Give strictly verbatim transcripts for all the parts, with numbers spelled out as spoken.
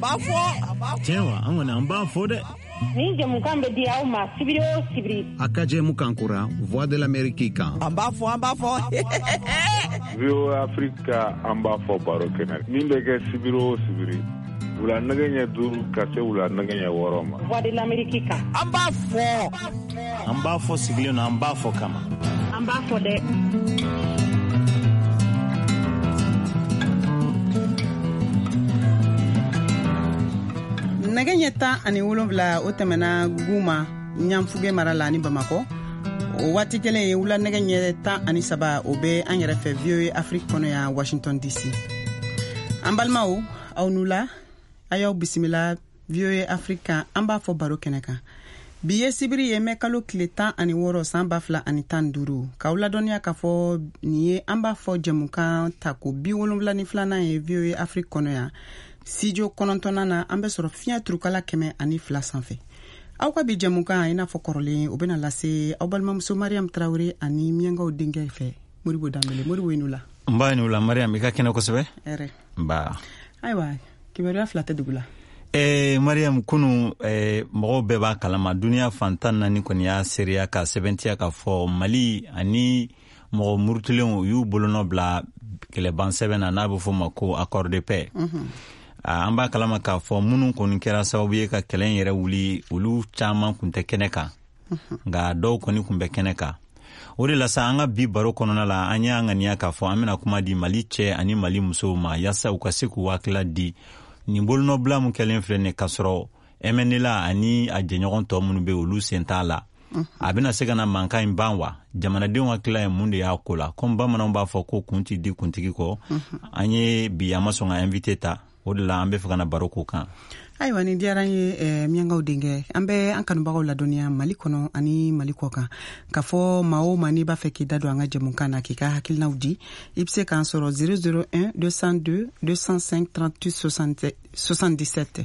b'a fɔ. Tiɲɛ wa, an kɔni an b'a fɔ dɛ. Nin jɛmukan bɛ di aw ma sibiri o sibiri. A ka jɛmukan kura Voix de l'Amérique kan. An b'a fɔ, an b'a fɔ. V O A Afrique an b'a fɔ baro kɛnɛ. Min bɛ kɛ sibiri o sibiri. Wula nɛgɛ ɲɛ duuru ka se wula nɛgɛ ɲɛ wɔɔrɔ ma. Voix de l'Amérique kan. An b'a fɔ. An b'a fɔ sigilen don, an b'a fɔ kama. An b'a fɔ dɛ. Nɛgɛ ɲɛ tan ani wolonwula o tɛmɛna Guma Ɲanfuge mara la ni Bamakɔ. O waati kelen ye wula nɛgɛ ɲɛ tan ani saba o bɛ an yɛrɛ fɛ V O A Afrique kɔnɔ yan Washington D C. An balimaw, aw nu la, a y'aw bisimila V O A Afrique kan, an b'a fɔ baro kɛnɛ kan. Bi ye sibiri ye mɛ kalo tile tan ani wɔɔrɔ san ba fila ani tan duuru. K'aw ladɔnniya k'a fɔ nin ye an b'a fɔ jɛmukan tako bi wolonwula ni filanan ye V O A Afrique kɔnɔ yan. Studio kɔnɔntɔnnan na an bɛ sɔrɔ fiɲɛ turukala kɛmɛ ani fila sanfɛ. Aw ka bi jɛmukan i n'a fɔ kɔrɔlen o bɛna lase aw balimamuso Mariam Traoré ani Miyankaw denkɛ fɛ Modibo Danbele. Modibo i nu la. N ba i nu la Mariam, i ka kɛnɛ kosɛbɛ. Hɛrɛ. Nba. Ayiwa, kibaruya fila tɛ dugu la. Eh, Mariam, kunu eh, mɔgɔw bɛɛ b'a kalama duniya fantan naani kɔni y'a seereya ka sɛbɛntiya k'a fɔ Mali ani mɔgɔ murutulenw u y'u bolonɔ bila kɛlɛban sɛbɛn na n'a bɛ fɔ o ma ko accord de paix. Mm-hmm. An b'a kalama k'a fɔ minnu kɔni kɛra sababu ye ka kɛlɛ in yɛrɛ wuli olu caman kun tɛ kɛnɛ kan, nka dɔw kɔni kun bɛ kɛnɛ kan. O de la sa an ka bi baro kɔnɔna la an y'a ŋaniya k'a fɔ an bɛna kuma di Mali cɛ ani Mali musow ma yaasa u ka se k'u hakilila di nin bolonɔbila mun kɛlen filɛ nin k'a sɔrɔ M N L A ani a jɛɲɔgɔn tɔ minnu bɛ olu sen t'a la. A bɛna se ka na mankan in ban wa? Jamanadenw hakilila ye mun de y'a ko la? Komi bamananw b'a fɔ ko kun ti di kuntigi kɔ, an ye bi an ma sɔn ka invité ta. O de la an bɛ fɛ ka na baro k'o kan. Ayiwa, nin diyara n ye eh, Miyankaw denkɛ. An bɛ an kanubagaw ladɔnniya Mali kɔnɔ ani Mali kɔ kan k'a fɔ maa o maa n'i b'a fɛ k'i da don an ka jɛmukan na k'i ka hakilinaw di, i bɛ se k'an sɔrɔ zéro zéro un deux cent deux deux cent cinq trente-huit soixante-dix-sept.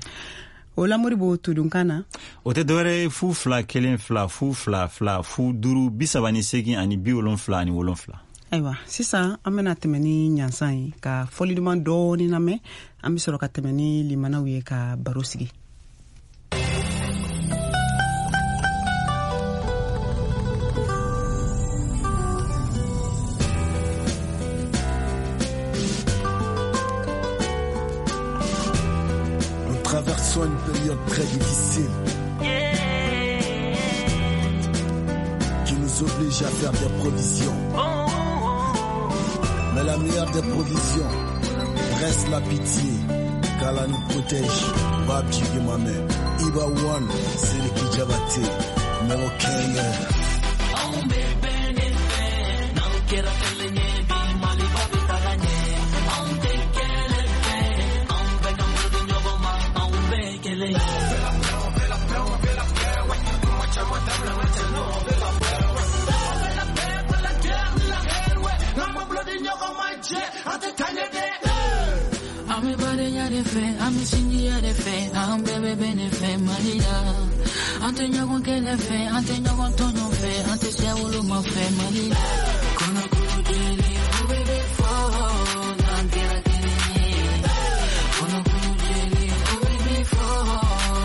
O la Modibo todunkan na o tɛ dɔwɛrɛ ye fu fila kelen fila fu fila fila fu duuru bi saba ni seegin ani bi wolonfila ani wolonfila. Ayiwa, sisan an bɛna tɛmɛ ni ɲansan ye ka fɔli duman dɔɔni lamɛn, an bɛ sɔrɔ ka tɛmɛ ni limanaw ye ka baro sigi. Nous traversons une période très difficile qui nous oblige à faire des provisions. Mais la meilleure des provisions reste la pitié, car elle nous protège. Babji Gimame, Iba One, Seriki Jabate, Melo Kenya. I'm sinji fe, I'm bebe bene fe, Malila. Ante nyogon kele fe, ante nyogon tonyo fe, ante siawolo ma fe, Malila. Kono kulu jeli, oh bebe fo, nangera kele. Kono kulu jeli, oh bebe fo,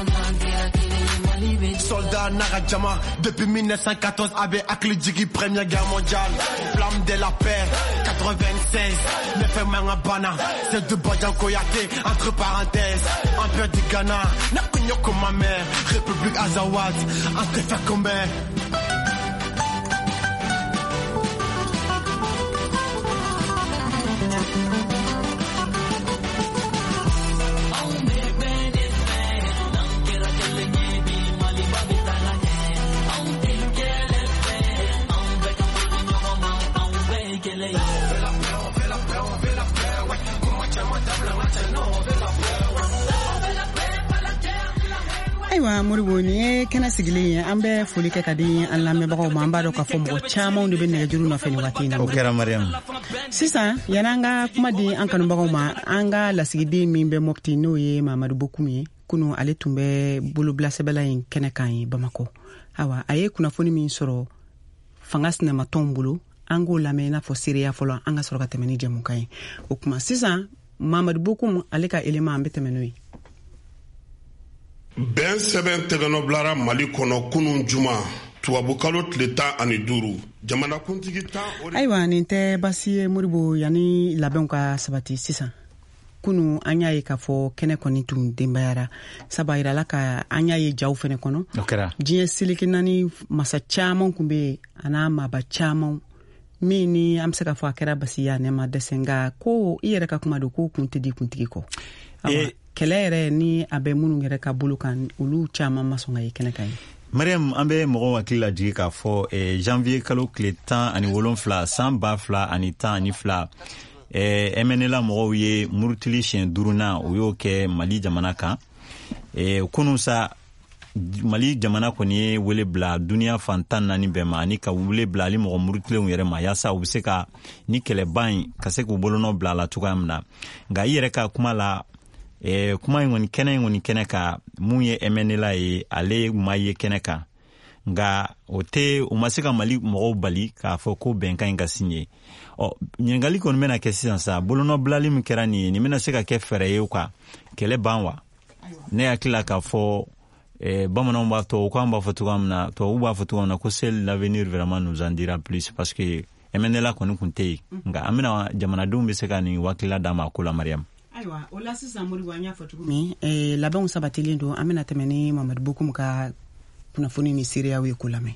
nangera kele, Mali. Soldat Naradjama, depuis mille neuf cent quatorze, avec Akli Djigi, première guerre mondiale. Flamme de la paix, quatre-vingt-seize, neuf Mangabana, c'est de Badian Koyate, entre parenthèses, Empire du Ghana, Nakunyoko ma mère, République Azawad, entre Fakombe. Ayiwa Modibo, nin ye kɛnɛ sigilen ye, an bɛ foli kɛ ka di an lamɛnbagaw ma. An b'a dɔn k'a fɔ mɔgɔ camanw de bɛ nɛgɛjuru nɔfɛ nin waati in na. O kɛra Mariam. Sisan yan'an ka kuma di an kanubagaw ma, an ka lasigiden min bɛ Mopti n'o ye Mamadu Bokum ye, kunu ale tun bɛ bolobila sɛbɛla in kɛnɛ kan ye Bamakɔ. Ayiwa, a ye kunnafoni min sɔrɔ fanga sinamatɔnw bolo, an k'o lamɛn i n'a fɔ seereya fɔlɔ, an ka sɔrɔ ka tɛmɛ ni jɛmukan ye. O tuma sisan Mamadu Bokum ale ka élément an bɛ tɛmɛ n'o ye. Bɛn sɛbɛn tɛgɛnɔ bilara Mali kɔnɔ kunun juma, tubabukalo tile tan ani duuru, jamanakuntigi tan. Ayiwa, nin tɛ basi ye, Moribo. Yanni labɛnw ka sabati sisan, kunu an y'a ye k'a fɔ kɛnɛ kɔni tun denbayara, sabu a yirala ka an y'a ye jaw fɛnɛ kɔnɔ. O kɛra. Diɲɛ seleke naani masa caman kun be yen, a n'a maaba caman min ni an be se k'a fɔ a kɛra basi ye, a nɛ ma dɛsɛ. Nka ko i yɛrɛ ka kuma don ko kun tɛ di kuntigi kɔ. Awa, kɛlɛ yɛrɛ ni a bɛ minnu yɛrɛ ka bolo kan, olu caman ma sɔn ka ye kɛnɛ kan ye. Mariam, an bɛ mɔgɔw hakili lajigi k'a fɔ eh, janvier kalo tile tan ani wolonfila san ba fila ani tan ani fila, eh, M N L A mɔgɔw ye murutili siɲɛ duurunan, o y'o kɛ Mali jamana kan. eh, kunun sa, Mali jamana kɔni ye wele bila duniya fan tan naani bɛɛ ma, ani ka wele bila ali mɔgɔ murutilenw yɛrɛ ma, yaasa u be se ka ni kɛlɛba in ka se k'u bolonɔ bila a la cogoya min na. Nka i yɛrɛ ka kuma la, eh, kuma in kɔni, kɛnɛ in kɔni kɛnɛ kan, mun ye M N L A ye, ale ma ye kɛnɛ kan. Nka o tɛ, o ma se ka Mali mɔgɔw bali k'a fɔ ko bɛnkan in ka signé. Ɔ, ɲininkali kɔni bɛna kɛ sisan sa, bolonɔbilali min kɛra nin ye, nin bɛna se ka kɛ fɛɛrɛ ye ka kɛlɛ ban wa? Ne hakili la k'a fɔ eh, bamananw b'a, tubabukan b'a fɔ cogoya min na, tubabu b'a fɔ cogoya min na ko seul l'avenir vraiment nous en dira plus, parce que M N L A kɔni kun tɛ yen. Nka an bɛna, jamanadenw bɛ se ka nin hakilila d'a ma a ko la, Mariam. Ayiwa, o la sisan, Moribo, an y'a fɔ cogo min, eh, labɛnw sabatilen don. An bɛna tɛmɛ ni Mamadu Bokum ka kunnafoni ni seereyaw ye ko lamɛn.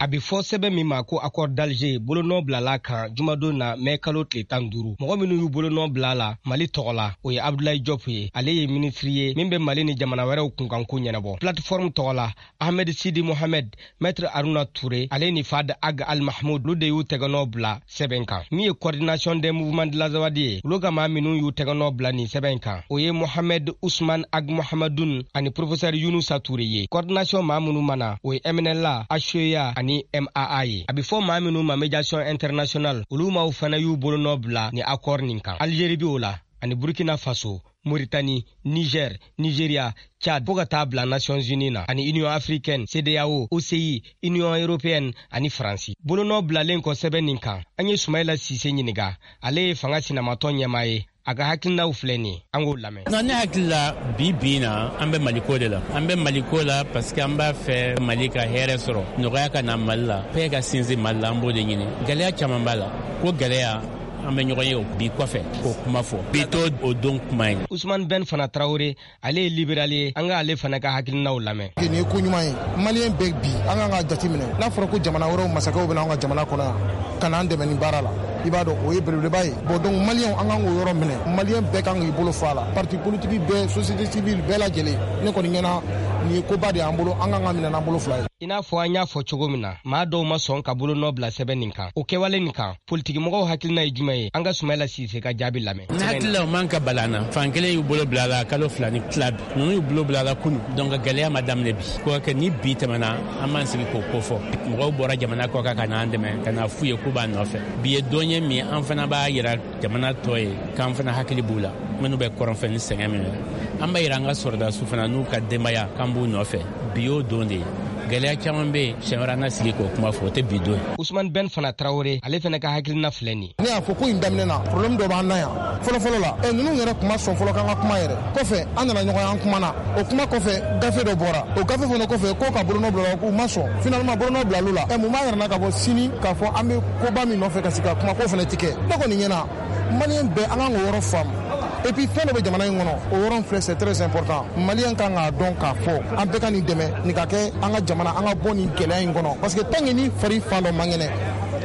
A bɛ fɔ sɛbɛn min ma ko accord d'Alger, bolonɔ bilala kan jumadon na, mɛ kalo tile tan duuru. Mɔgɔ minnu y'u bolonɔ bila la Mali tɔgɔ la, o ye Abdoulaye Diop ye, ale ye minisiri ye min bɛ Mali ni jamana wɛrɛw kunkanko ɲɛnabɔ. Plateforme tɔgɔ la, Ahmed Sidi Mohamed, Maître Haruna Touré, ale ni Fad Ag Al Mahmoud, olu de y'u tɛgɛnɔ bila sɛbɛn kan. Min ye Coordination des mouvements de l'Azawad ye, olu ka maa minnu y'u tɛgɛnɔ bila nin sɛbɛn kan, o ye Mohamed Ousmane Ag Mohamedoun ani professeur Yunusa Touré ye. Coordination maa minnu mana, o ye M N L A, H E A ani M A A ye. A bɛ fɔ maa minnu ma Médiation internationale, olu maaw fana y'u bolonɔ bila ni accord nin kan. Algérie bi o la, ani Burkina Faso, Mauritanie, Niger, Nigeria, Tchad, fo ka taa bila Nations Unies na, ani Union africaine, CEDEAO, O C I, Union européenne ani Faransi. Bolonɔ bilalen kɔ sɛbɛn nin kan, an ye Sumayila Sise ɲininga, ale ye fanga sinamatɔn ɲɛmaa ye. A ka hakilinaw filɛ nin ye, an k'o lamɛn. Nka ne hakili la, bi bi na, an bɛ Maliko de la. An bɛ Maliko la parce que an b'a fɛ Mali ka hɛrɛ sɔrɔ, nɔgɔya ka na Mali la, paix ka sinsin Mali la. An b'o de ɲini. Gɛlɛya caman b'a la ko gɛlɛya, an bɛ ɲɔgɔn ye o bi kɔfɛ k'o kuma fɔ. Bi t'o o don kuma ye. Usman Ben fana Tarawele, ale ye libéral ye, an ka ale fana ka hakilinaw lamɛn. Nin ye ko ɲuman ye Maliyɛn bɛɛ. Bi an kan ka jate minɛ, n'a fɔra ko jamana wɛrɛw masakɛw bɛna an ka jamana kɔnɔ yan ka n'an dɛmɛ nin baara la, i b'a dɔn o ye belebeleba ye. Bon, donc Maliyɛnw, an kan k'o yɔrɔ minɛ. Maliyɛn bɛɛ kan k'i bolo fɔ a la, parti politique bɛɛ, société civile bɛɛ lajɛlen. Ne kɔni ɲɛna, nin ye koba de y'an bolo, an kan ka minɛ n'an bolo fila ye. I n'a fɔ an y'a fɔ cogo min na, maa dɔw ma sɔn ka bolonɔ bila sɛbɛn nin kan. O kɛwale nin kan, politikimɔgɔw hakilina ye jumɛn ye? An ka Sumayila Sise ka jaabi lamɛn. Ne hakili la, o man ka bala an na. Fan kelen y'u bolo bila la kalo fila ni tila bi, ninnu y'u bolo bila la kunu. Donc gɛlɛya ma daminɛ bi ko kɛ. Ni bi tɛmɛna, an b'an sigi k'o ko fɔ. Mɔgɔw bɔra jamana kɔ kan ka n'an dɛmɛ, ka na f'u ye k'u b'an nɔfɛ. Bi ye don ye min an fana b'a yira jamana tɔ ye k'an fana hakili b'u la, minnu bɛ kɔrɔnfɛ ni sɛgɛn min na. An b'a yira an ka sɔrɔdasiw fana n'u ka denbaya k'an b'u nɔfɛ. Bi y'o don de ye. Gɛlɛya caman bɛ yen, siɲɛ wɛrɛ an na sigi k'o kuma fɔ, o tɛ bi don ye. Usman Ben fana Tarawele, ale fana ka hakilina filɛ nin ye. Ne y'a fɔ ko in daminɛ na, problème dɔ b'an na yan fɔlɔfɔlɔ la. Ɛ, ninnu yɛrɛ kuma sɔn fɔlɔ k'an ka kuma yɛrɛ kɔfɛ, an nana ɲɔgɔn ye, an kumana. O kuma kɔfɛ, gafe dɔ bɔra. O gafe fana kɔfɛ, ko ka bolonɔ bila, k'u ma sɔn. Finalement, bolonɔ bilal'u la. Ɛ, mun b'a yɛrɛ na ka bɔ sini k'a fɔ an bɛ koba min nɔfɛ ka sigi ka kuma, k'o fana ti kɛ? Ne kɔni ɲɛna, Maliyɛn bɛɛ, an kan k'o yɔrɔ faamu. Et puis fɛn dɔ bɛ jamana in kɔnɔ, o yɔrɔ filɛ, c'est très important. Maliyɛn kan k'a dɔn k'a fɔ an bɛɛ ka nin dɛmɛ, nin ka kɛ an ka jamana, an ka bɔ nin gɛlɛya in kɔnɔ, parce que tant que ni fari fan dɔ man kɛnɛ,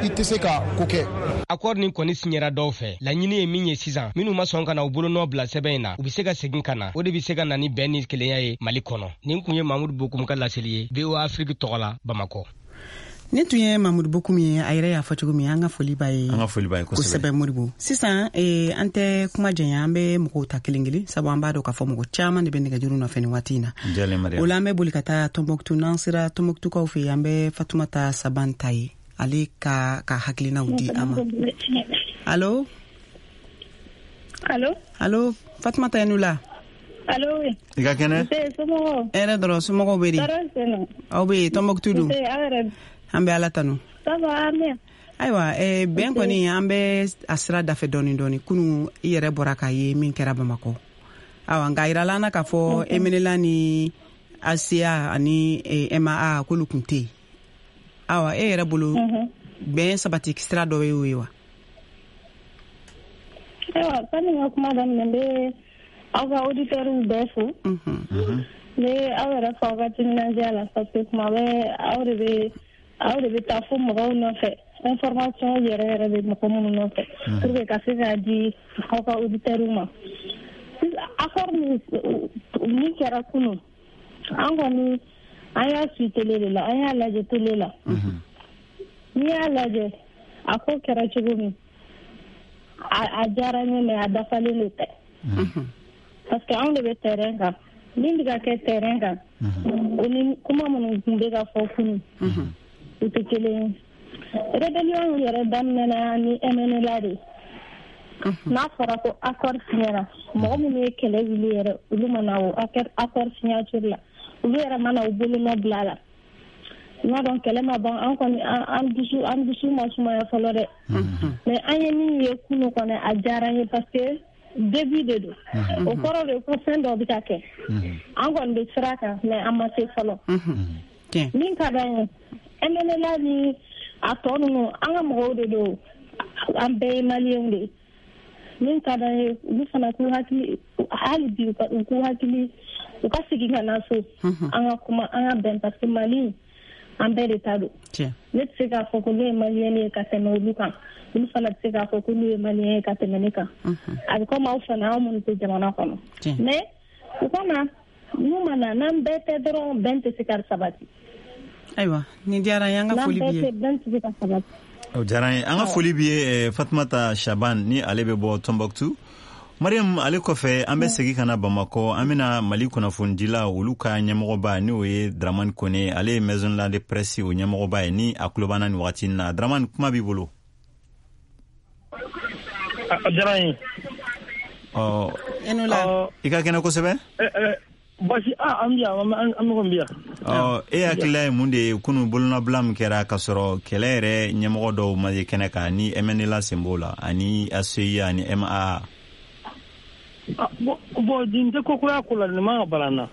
i tɛ se ka ko kɛ. Accord nin kɔni siɲɛra dɔw fɛ. Laɲini ye min ye sisan, minnu ma sɔn ka na u bolonɔ bila sɛbɛn in na, u be se ka segin ka na. O de be se ka na ni bɛn ni kelenya ye Mali kɔnɔ. Nin kun ye Mamudu Bokum ka laseli ye V O A Afrique tɔgɔ la, Bamakɔ. Nin tun ye Mamudu Bokum ye. A yɛrɛ y'a fɔ cogo min, an ka foli b'a ye. An ka foli b'a ye kosɛbɛ. Kosɛbɛ, Moribo. Sisan eh, an tɛ kuma janya, an bɛ mɔgɔw ta kelen kelen, sabu an b'a dɔn k'a fɔ mɔgɔ caman de bɛ nɛgɛjuru nɔfɛ nin waati in na. Jalen, Mariam. O la, an bɛ boli ka taa Tɔnbɔkutu. N'an sera Tɔnbɔkutukaw fɛ yen, an bɛ Fatumata Saban ta ye, ale ka ka hakilinaw di an ma. Allo? Allo? Allo, Fatumata, i ni wula. Allo, oui. I ka kɛnɛ? Nse, somɔgɔw? Hɛrɛ dɔrɔn. Somɔgɔw bɛ di? Tɔɔrɔ tɛ yen. Aw bɛ yen Tɔnbɔkutu dun? Nse, aw yɛrɛ? An bɛ Ala tanu. Ça va, Amina? Ayiwa, eh, bɛn kɔni, an bɛ a sira dafɛ dɔɔni dɔɔni. Kunu, i yɛrɛ bɔra k'a ye min kɛra Bamakɔ. Awa, nka a yirala an na k'a fɔ M N L A ni A C A ani M A A k'olu kun tɛ yen. Awa, e yɛrɛ bolo bɛn sabati sira dɔ ye o ye wa? Ayiwa, sani n ka kuma daminɛ, n bɛ aw ka auditeurs bɛɛ fo. N bɛ aw yɛrɛ fo aw ka timinandiya la, parce que kuma bɛɛ aw de bɛ aw de bɛ taa fo mɔgɔw nɔfɛ, information yɛrɛ yɛrɛ bɛ mɔgɔ minnu nɔfɛ pour que ka se k'a di aw ka auditeurs ma. Accord min min kɛra kunun, an kɔni an y'a suit télé de la, an y'a lajɛ télé la. N'i y'a lajɛ, a ko kɛra cogo min, a a diyara n ye, mais a dafalen de tɛ, parce que anw de bɛ terrain kan. Min bɛ ka kɛ terrain kan, o ni kuma minnu tun bɛ ka fɔ kunun, u tɛ kelen ye. Rébellion yɛrɛ daminɛna ni M N L A de ye. N'a fɔra ko accord signera, mɔgɔ minnu ye kɛlɛ wuli yɛrɛ, olu ma na o accord signature la, olu yɛrɛ ma na u bolonɔ bila a la. I m'a dɔn, kɛlɛ ma ban. An kɔni an dusu an dusu ma sumaya fɔlɔ dɛ, mais an ye min ye kunun kɔni, a diyara n ye, parce que début de don. O kɔrɔ de ko fɛn dɔ bɛ ka kɛ. An kɔni bɛ sira kan, mais an ma se fɔlɔ. Min ka d'an ye, M N L A ni a tɔ ninnu, an ka mɔgɔw de don, an bɛɛ ye maliyɛnw de ye. Min ka d'an ye, olu fana k'u hakili, hali bi u k'u hakili, u ka segin ka na so, an ka kuma, an ka bɛn, parce que Mali, an bɛɛ de ta don. Ne tɛ se k'a fɔ ko ne ye maliyɛn ye ka tɛmɛ olu kan, olu fana tɛ se k'a fɔ k'olu ye maliyɛn ye ka tɛmɛ ne kan. A bɛ komi aw fana, aw minnu tɛ jamana kɔnɔ. Mais u ka na, n'u ma na, n'an bɛɛ tɛ dɔrɔn, bɛn tɛ se ka sabati. Ayiwa, nin diyara n ye, an ka foli b'i ye. Bɛn tɛ se ka sabati. O diyara n ye, an ka foli b'i ye Fatumata Shaban, ni ale bɛ bɔ Tombouctou. Mariam, ale kɔfɛ an bɛ segin ka na Bamakɔ, an bɛna Mali kunnafonidila olu ka ɲɛmɔgɔba, n'o ye Dramane Kone, ale ye Maison de la Presse o ɲɛmɔgɔba ye, ni a tulo b'an na nin wagati in na. Dramane, kuma b'i bolo. A diyara n ye. Ɔ, i ka kɛnɛ kosɛbɛ. Basi an bi yan, an kɔni bi yan. Ɔ, e hakilila ye mun de ye kunun bolonɔbila min kɛra k'a sɔrɔ kɛlɛ yɛrɛ ɲɛmɔgɔ dɔw ma ye kɛnɛ kan, ni M N L A sen b'o la, ani A C I ani M A A? Bon, bon, nin tɛ ko kura ko la, nin man ka bala n na.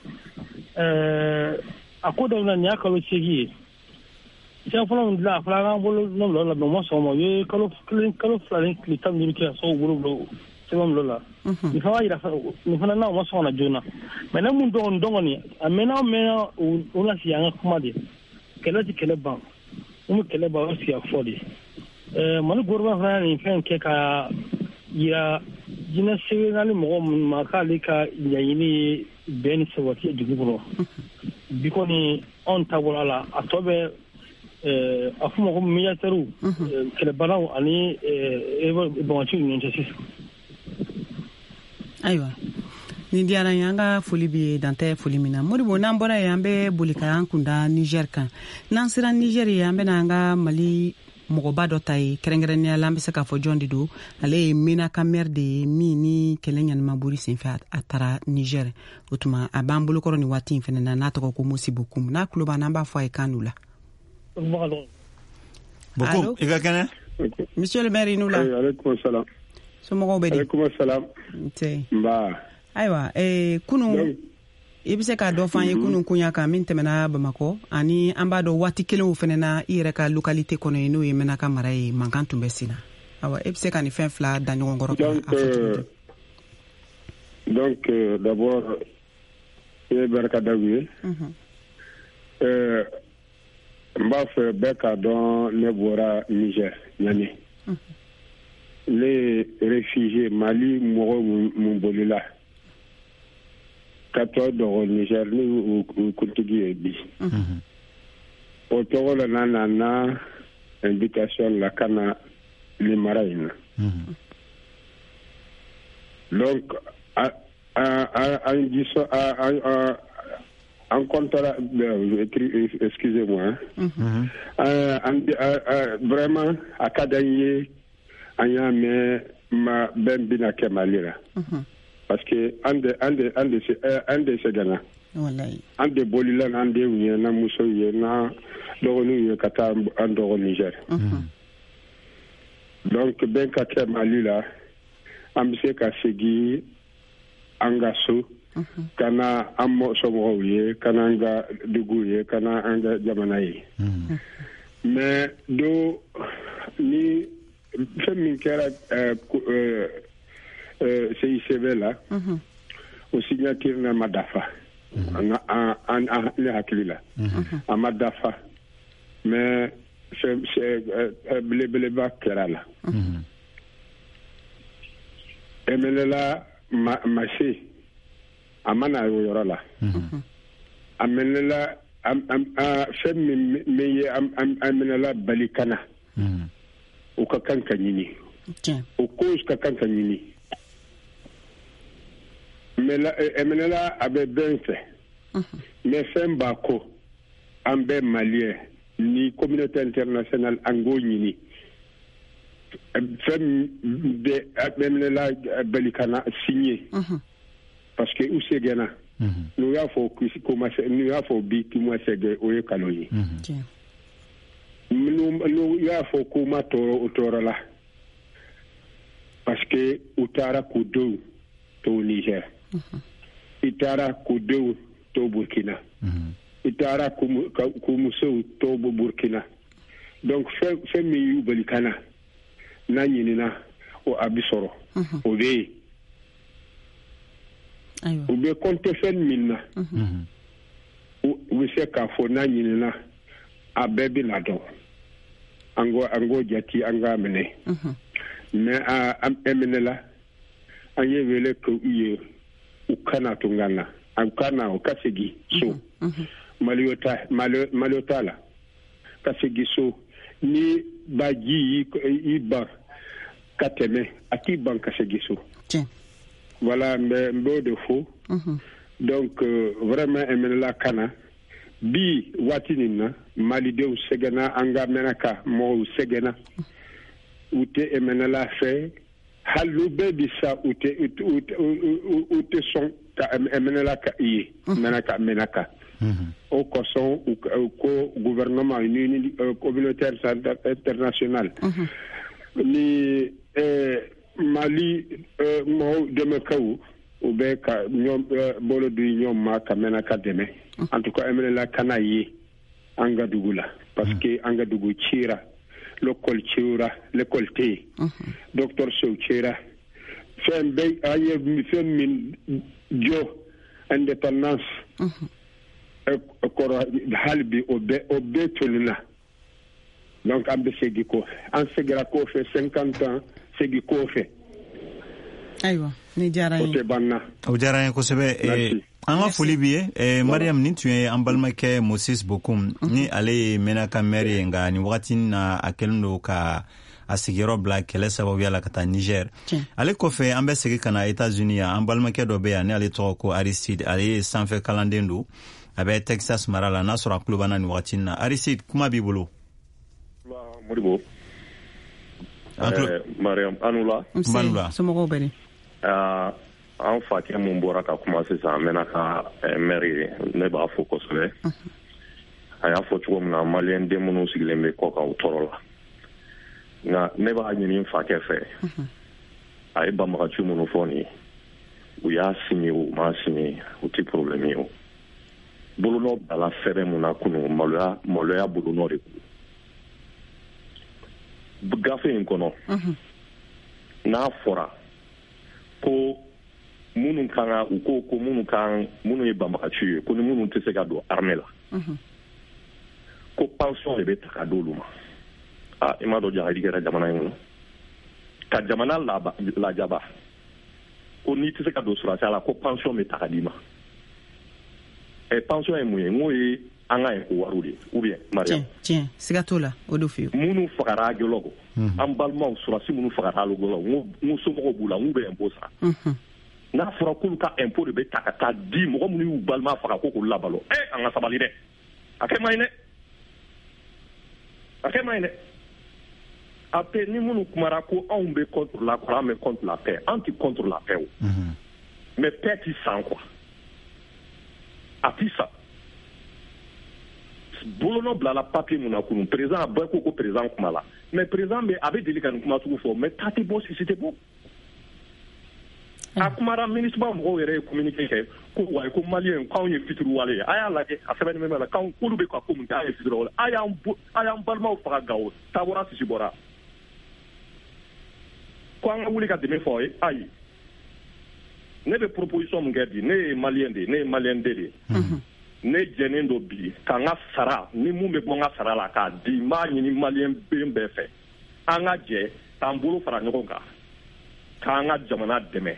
Ɛɛ, a ko daminɛ nin y'a kalo seegin ye. Siɲɛ fɔlɔ min dilan, a fɔra an k'an bolo nɔ bila o la, mais u ma sɔn o ma. U ye kalo kelen, kalo fila ni tile tan ni duuru kɛ ka sɔrɔ k'u bolo bila sɛbɛn bila o la. Nin fana b'a yira, nin fana n'a u ma sɔn ka na joona. Mais ne mun dɔn dɔn kɔni, a mɛnna o mɛnna, u na sigi an ka kuma de. Kɛlɛ tɛ kɛlɛ ban. Mun bɛ kɛlɛ ban, o sigi ka fɔ de. Ɛɛ, Mali gouvernement fana ye nin fɛn kɛ ka yira jinɛ sɛbɛnna mɔgɔ minnu ma k'ale ka ɲɛɲini ye bɛn ni sabati ye dugu kɔnɔ. Bi kɔni anw ta bɔra a la, a tɔ bɛ a f'o ma ko médiateurs, kɛlɛbanaw ani banbaganciw ni ɲɔgɔn cɛ sisan. Ayiwa, nin diyara n ye, an ka foli b'i ye, dan tɛ foli min na. Modibo, n'an bɔra yen, an bɛ boli ka an kunda Niger kan. N'an sera Niger ye, an bɛna an ka Mali mɔgɔba dɔ ta ye, kɛrɛnkɛrɛnnenya la an bɛ se k'a fɔ jɔn de don. Ale ye Menaka maire de ye, min ni kɛlɛ ɲanimabori senfɛ a taara Niger. O tuma a b'an bolokɔrɔ nin waati in fɛnɛ na, n'a tɔgɔ ko Mosi Bokum. N'a tulo b'an na, an b'a fɔ a ye kan d'u la. Bokum, i ka kɛnɛ? Monsieur le maire, i n'u la. Aleykum salam. Somɔgɔw bɛ di? Aleykum salam. Nse. Nba. Ayiwa, ee, kunun i bɛ se k'a dɔ fɔ an ye kunun koɲa kan min tɛmɛna Bamakɔ, ani an b'a dɔn waati kelen o fɛnɛ na i yɛrɛ ka localité kɔnɔ yen, n'o ye Menaka mara ye, mankan tun bɛ sen na. Awa, e bɛ se ka nin fɛn fila da ɲɔgɔn kɔrɔ ka a fɔ cogo di? Donc euh, d'abord i ye barika da u ye. N b'a fɛ bɛɛ k'a dɔn ne bɔra Niger, Niamey. Ne ye réfugié Mali mɔgɔ mun bolila ka tɔ dɔgɔ Niger, ne y'u kuntigi ye bi. O tɔgɔ la n'a nana invitation la ka na nin mara in na. Donc an gisɔ an comptera, excusez-moi, vraiment a ka d'an ye, an y'a mɛn ma bɛn bɛna kɛ Mali la. Parce que an de an de an de an de sɛgɛnna. An de bolila n'an denw ye, n'an musow ye, n'an dɔgɔninw ye ka taa an dɔgɔ Niger. Donc bɛn ka kɛ Mali la, an bɛ se ka segin an ka so, ka na an somɔgɔw ye, ka na an ka dugu ye, ka na an ka jamana ye. Mais do ni fɛn min kɛra C I C B la, o signature na ma dafa. An ne hakili la a ma dafa, mais belebeleba kɛra la. M N L A ma se a ma na o yɔrɔ la. A M N L A fɛn min ye M N L A bali ka na, o ka kan ka ɲini, o cause ka kan ka ɲini. M N L A a bɛ bɛn fɛ, mais fɛn b'a kɔ, an bɛɛ malien ni communauté internationale an k'o ɲini. Fɛn bɛ M N L A bali ka na signer, parce que u sɛgɛnna. N'u y'a fɔ n'u y'a fɔ bi k'u ma sɛgɛn, o ye kalon ye. N'u y'a fɔ k'u ma tɔɔrɔ, o tɔɔrɔ la, parce que u taara k'u denw to Niger, i taara k'u denw to Burkina, i taara k'u musow to Burkina. Donc fɛn fɛn min y'u bali ka na, n'a ɲinina o a bi sɔrɔ, o bɛ yen. U bɛ compter fɛn min na, u bɛ se k'a fɔ n'a ɲinina a bɛɛ bɛ na dɔn. An k'o an k'o jate, an k'a minɛ. Mais a M N L A an ye wele k'u ye, u kana tunga na, u kana, u ka segin so. Malo t'a malo t'a la, ka segin so. Ni baji y'i ban ka tɛmɛ, a t'i ban ka segin so. Voilà, n bɛ n b'o de fɔ. Donc vraiment M N L A kana bi waati nin na, malidenw sɛgɛnna, an ka Mɛnaka mɔgɔw sɛgɛnna, u tɛ M N L A fɛ. Hali n'u bɛɛ bi sa, u tɛ u tɛ sɔn ka M N L A ka i ye Mɛnaka Mɛnaka. O kosɔn u ko gouvernement ni communauté internationale ni Mali mɔgɔw dɛmɛkaw, u bɛ ka ɲɔgɔn bolo di ɲɔgɔn ma ka Mɛnaka dɛmɛ. En tout cas M N L A kana ye an ka dugu la, parce que an ka dugu cira, l'école cira, l'école tɛ yen, dɔgɔtɔrɔsow cira, fɛn bɛɛ. An ye fɛn min jɔ indépendance kɔrɔ, hali bi o bɛɛ o bɛɛ tolila. Donc an bɛ segin kɔfɛ, an seginna kɔfɛ cinquante ans, segin kɔfɛ. Ayiwa, ni diyara n ye. O tɛ ban na. O diyara n ye kosɛbɛ. An ka foli b'i ye Mariam. Nin tun ye an balimakɛ Moses Bokum, ni ale ye Mɛnaka maire ye, nka nin wagati na a kɛlen don ka a sigiyɔrɔ bila kɛlɛ sababuya la ka taa Niger. Ale kɔfɛ an bɛ segin ka na États-Unis yan. An balimakɛ dɔ bɛ yan, ni ale tɔgɔ ko Aristide, ale ye sanfɛ kalanden don, a bɛ Texas mara la. N'a sɔrɔ a tulo b'an na nin wagati na. Aristide, kuma b'i bolo. Modibo. Mariam, an wula. Nse, somɔgɔw bɛ di? An fakɛ mun bɔra ka kuma sisan, Mɛnaka maire ye, ne b'a fo kosɛbɛ. A y'a fɔ cogo min na, maliyɛn den minnu sigilen bɛ kɔ kan, u tɔɔrɔ la. Nka ne b'a ɲini n fakɛ fɛ, a ye banbagaci minnu fɔ nin ye, u y'a signé o u m'a signé, o tɛ problème ye. O bolonɔ bilala sɛbɛn mun na kunun, maloya maloya bolonɔ de don gafe in kɔnɔ. N'a fɔra ko minnu kan ka, u ko ko minnu kan, minnu ye banbagaci ye, ko ni minnu tɛ se ka don armée la, ko pension de bɛ ta ka d'olu ma. Ah, i m'a dɔn jahadi kɛra jamana in kɔnɔ, ka jamana lajaba, ko n'i tɛ se ka don surasiya la, ko pension bɛ ta ka d'i ma. Ɛ pension ye mun ye? N k'o ye an ka impôt wariw de ye, ou bien Mariam? Tiɲɛ, siga t'o la, o de fiyewu. Minnu fagara Aguelhok, an balimaw surasi minnu fagara Aguelhok, n ko somɔgɔw b'u la, n k'u bɛ impôt sara. N'a fɔra k'olu ka impôt de bɛ ta ka taa di mɔgɔ minnu y'u balima faga ko k'olu labalo, ɛ an ka sabali dɛ, a kɛ man ɲi dɛ, a kɛ man ɲi dɛ. A bɛɛ ni minnu kumara ko anw bɛ contre la kɔrɔ, an bɛ contre la paix, an tɛ contre la paix o, mais paix ti san quoi, a ti san. Bolonɔ bilala papier mun na kunun, président a bɛɛ ko ko président kuma la, mais président bɛ a bɛ deli ka nin kuma sugu fɔ, mais ta tɛ bɔ, sisi tɛ bɔ. A kumara MINUSMA mɔgɔw yɛrɛ ye communiqué kɛ ko wayi ko maliyɛn k'anw ye fitiriwale ye. A y'a lajɛ a sɛbɛnni bɛ la k'anw k'olu bɛ ka ko min kɛ an ye fitiriwale. A y'an a y'an balimaw faga Gawo Tabora sisi bɔra. Ko an ka wuli ka dɛmɛ fɔ aw ye ayi. Ne bɛ proposition min kɛ bi ne ye maliyɛn de ye ne ye maliyɛn den de ye. Ne jɛnnen don bi k'an ka sara ni mun bɛ bɔ n ka sara la k'a di n b'a ɲini maliyɛn den bɛɛ fɛ. An ka jɛ k'an bolo fara ɲɔgɔn kan k'an ka jamana dɛmɛ.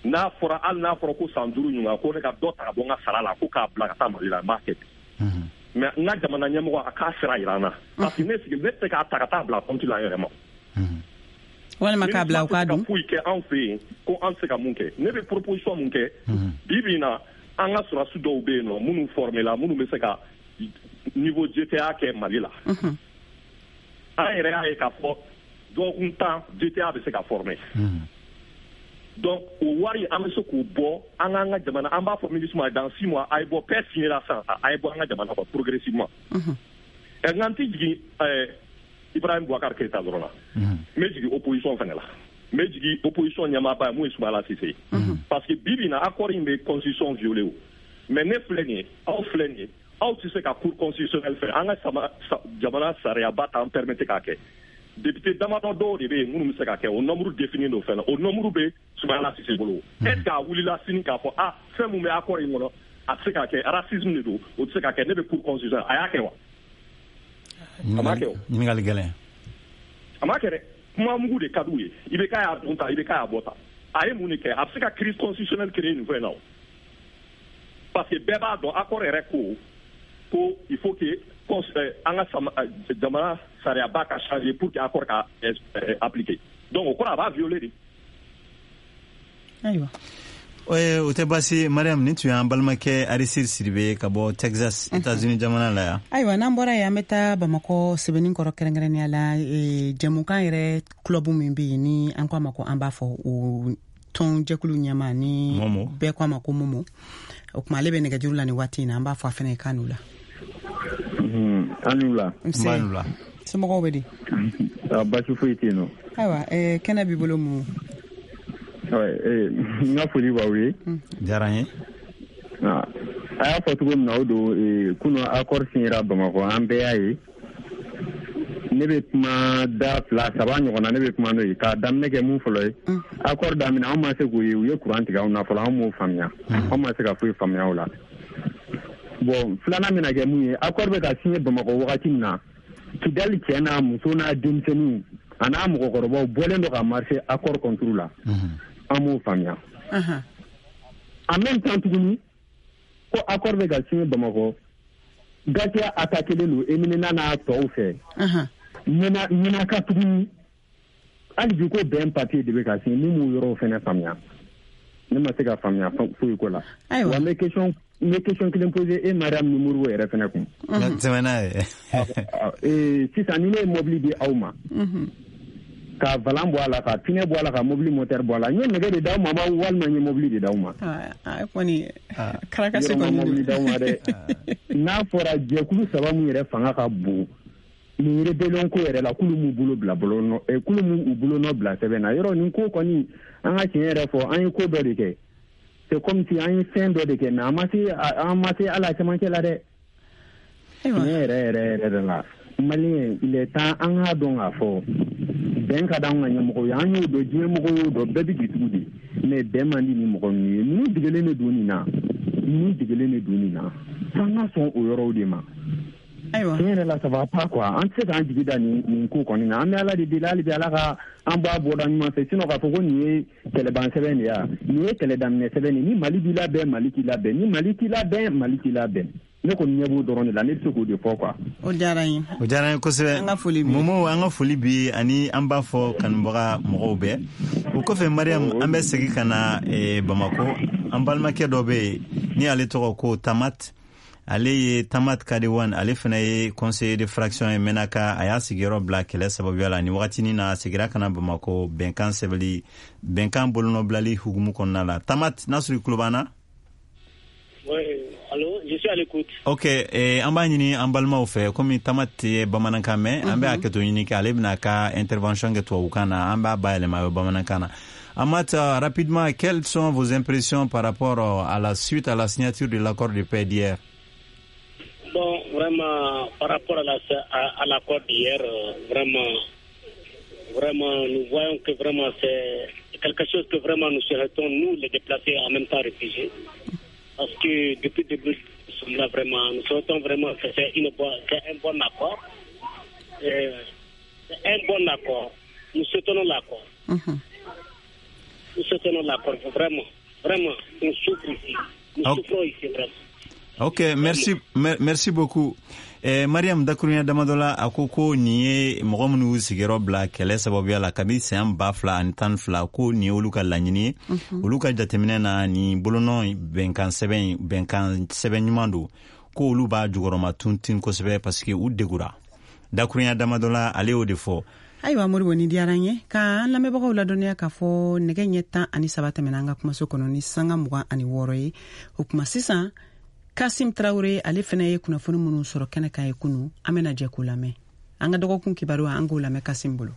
N'a fɔra hali n'a fɔra ko san duuru ɲuman ko ne ka dɔ ta ka bɔ n ka sara la ko k'a bila ka taa Mali la n b'a kɛ bi. Mais n ka jamana ɲɛmɔgɔ a k'a sira yira n na parce que ne sigi ne tɛ se k'a ta ka taa bila compte la n yɛrɛ ma. Walima k'a bila u k'a dun. Foyi kɛ anw fɛ yen ko an tɛ se ka mun kɛ. Ne bɛ proposition mun kɛ bi bi in na an ka sɔrɔdasi dɔw bɛ yen nɔ minnu formé la minnu bɛ se ka niveau G T A kɛ Mali la. An yɛrɛ y'a ye k'a fɔ dɔgɔkun tan G T A bɛ se ka former. Donc o wari an bɛ se k'o bɔ an k'an ka jamana an b'a fɔ MINUSMA dans six mois a ye bɔ paix signé la sisan a ye bɔ an ka jamana kɔnɔ progressivement. Ɛ nka n tɛ jigin ɛɛ Ibrahim Boubacar Keïta dɔrɔn na. N bɛ jigin opposition fana la. N bɛ jigin opposition ɲɛmaaba ye mun ye Soumaïla Cissé ye. Parce que bi bi in na accord in bɛ constitution violé o. Mais ne filɛ nin ye aw filɛ nin ye aw tɛ se ka cour constitutionnelle fɛ an ka sama jamana sariyaba t'an permettre k'a kɛ. Député damadɔ dɔw de bɛ yen minnu bɛ se ka kɛ o nombre défini don fɛn na o nombre bɛ Soumaïla Cissé bolo. Est ce que a wulila sini k'a fɔ ah fɛn mun bɛ accord in kɔnɔ a tɛ se ka kɛ racisme de don o tɛ se ka kɛ ne bɛ cour constitutionnelle a y'a kɛ wa? A m'a kɛ o. Ɲininkali gɛlɛn. A m'a kɛ dɛ. Kuma mugu de ka d'u ye. I B K y'a dun ta I B K y'a bɔ ta. A ye mun de kɛ a bɛ se ka crise constitutionnelle créer nin fɛn in na o. Parce que bɛɛ b'a dɔn accord yɛrɛ ko ko il faut que an ka jamana sariyaba ka changer pour que accord ka appliquer. Donc o kɔrɔ a b'a violer de. Ayiwa. O tɛ baasi Mariam nin tun y'an balimakɛ Arisir Sidibe ka bɔ Texas États-Unis jamana la yan. Ayiwa n'an bɔra yen an bɛ taa Bamakɔ Sɛbɛnninkɔrɔ kɛrɛnkɛrɛnnenya la jɛmukan yɛrɛ club min bɛ yen ni an ko a ma ko an b'a fɔ o tɔn jɛkulu ɲɛmaa ni bɛɛ ko a ma ko Momo. O tuma ale bɛ nɛgɛjuru la nin waati in na an b'a fɔ a fana ye k'a n'u la. An n'u la. Nse. An n'u la. Somɔgɔw bɛ di? Baasi foyi tɛ yen nɔ. Ayiwa kɛnɛ b'i bolo Momo. N ka foli b'aw ye. Diyara n ye. A y'a fɔ cogo min na o don kunun accord signera Bamakɔ an bɛɛ y'a ye. Ne bɛ kuma da fila saba ɲɔgɔn na ne bɛ kuma n'o ye k'a daminɛ kɛ mun fɔlɔ ye. Accord daminɛ anw ma se k'o ye u ye courant tigɛ anw na fɔlɔ anw m'o faamuya. Anw ma se ka foyi faamuya o la. Bon filanan bɛna kɛ mun ye accord bɛ ka signer Bamakɔ wagati min na Kidali cɛ n'a muso n'a denmisɛnninw a n'a mɔgɔkɔrɔbaw bɔlen don ka marcher accord contre la. An m'o faamuya. En même temps tuguni ko accord bɛ ka signer Bamakɔ Gatia attaqué don Eminena n'a tɔw fɛ. Ɲɛna ɲɛna tuguni hali bi ko bɛn papier de bɛ ka signer mun m'o yɔrɔw fɛnɛ faamuya. Ne ma se ka faamuya foyi ko la. Wa n bɛ question n bɛ question kelen poser e Mariam ni Moribo yɛrɛ fɛnɛ kun. Tɛmɛ n'a ye. Sisan ni ne ye mobili di aw ma. Ka valan bɔ a la ka pinɛ bɔ a la ka mobili moteur bɔ a la n ye nɛgɛ de d'aw ma walima n ye mobili de d'aw ma. A kɔni karakasi kɔni mobili d'aw ma dɛ. N'a fɔra jɛkulu saba mun yɛrɛ fanga ka bon nin rébellion ko yɛrɛ la k'olu m'u bolo bila bolo nɔ k'olu m'u bolo nɔ bila sɛbɛn na yɔrɔ nin ko kɔni an ka tiɲɛ yɛrɛ fɔ an ye ko dɔ de kɛ c'est comme si an ye fɛn dɔ de kɛ mais an ma se an ma se hali a cɛmancɛ la dɛ. Tiɲɛ yɛrɛ yɛrɛ yɛrɛ de la Malien il est temps an k'a dɔn k'a fɔ bɛn ka d'anw ka ɲɛmɔgɔw ye an y'o dɔn diɲɛ mɔgɔw y'o dɔn bɛɛ bɛ k'i tugu de mais bɛn man di ni mɔgɔ ninnu ye ninnu degelen de don nin na ninnu degelen de don nin na f'an ka sɔn o yɔrɔw de ma. Ayiwa tiɲɛ yɛrɛ la ça va pas quoi an tɛ se k'an jigi da nin nin ko kɔni na an bɛ Ala de deli hali bi Ala ka an bɔ a bɔda ɲuman fɛ sinon k'a fɔ ko nin ye kɛlɛban sɛbɛn de ye nin ye kɛlɛ daminɛ sɛbɛn de ye ni Mali b'i labɛn Mali k'i labɛn ni Mali t'i labɛn Mali k'i labɛn. Ne kɔni ɲɛ b'o dɔrɔn de la ne bɛ se k'o de fɔ quoi. O diyara n ye. O diyara n ye kosɛbɛ. An ka foli b'i ye. Momo an ka foli b'i ye ani an b'a fɔ kanubaga mɔgɔw bɛɛ. O kɔfɛ Mariam an bɛ segin ka na Bamakɔ an balimakɛ dɔ bɛ yen ni ale tɔgɔ ko Tamat. Ale ye Tamat Kadewan ale fana ye conseiller de fraction ye Menaka a y'a sigiyɔrɔ bila kɛlɛ sababuya la ni wagatinin na a seginna ka na Bamakɔ bɛnkan sɛbɛnli bɛnkan bolonɔbilali hukumu kɔnɔna la. Tamat n'a sɔrɔ i tulo b'an na. Oui, allô, je suis à l'écoute. Ok, eh, an b'a ɲini an balimaw fɛ, komi Tama tɛ bamanankan mɛn, an bɛ hakɛto ɲini kɛ, ale bɛna ka intervention kɛ tubabukan na, an b'a bayɛlɛma a bɛ bamanankan na. Amat, rapidement, quelles sont vos impressions par rapport à la suite à la signature de l'accord de paix d'hier? Bon, vraiment, par rapport à, la, à, à l'accord d'hier, vraiment, vraiment, nous voyons que vraiment c'est quelque chose que vraiment nous souhaitons, nous, les déplacés, en même temps réfugiés. Parce que depuis le début, nous sommes là vraiment, nous souhaitons vraiment que c'est, une, c'est un bon accord. Et c'est un bon accord. Nous soutenons l'accord. Mm-hmm. Nous soutenons l'accord, vraiment. Vraiment, on souffre ici. Nous okay. souffrons ici, vraiment. Ok, merci, mer, merci beaucoup. Eh, Mariam, dakurunya damadɔ la, a ko ko nin ye mɔgɔ minnu y'u sigiyɔrɔ bila kɛlɛ sababuya la kabi san ba fila ani tan fila, ko nin ye olu ka laɲini ye. Olu ka jateminɛ na, nin bolonɔ bɛnkan sɛbɛn bɛnkan sɛbɛn ɲuman don, ko olu b'a jukɔrɔma tuntin kosɛbɛ parce que u degura. Dakurunya damadɔ la, ale y'o de fɔ. Ayiwa Moribo, ni diyara n ye ka an lamɛnbagaw ladɔnniya k'a fɔ nɛgɛ ɲɛ tan ani saba tɛmɛna an ka kumaso kɔnɔ ni sanga mugan ani wɔɔrɔ ye. O kuma sisan, Kasim Traoré ale fana ye kunnafoni minnu sɔrɔ kɛnɛ kan ye kunu, an bɛna jɛ k'o lamɛn. An ka dɔgɔkun kibaru, an k'o lamɛn Kasim bolo.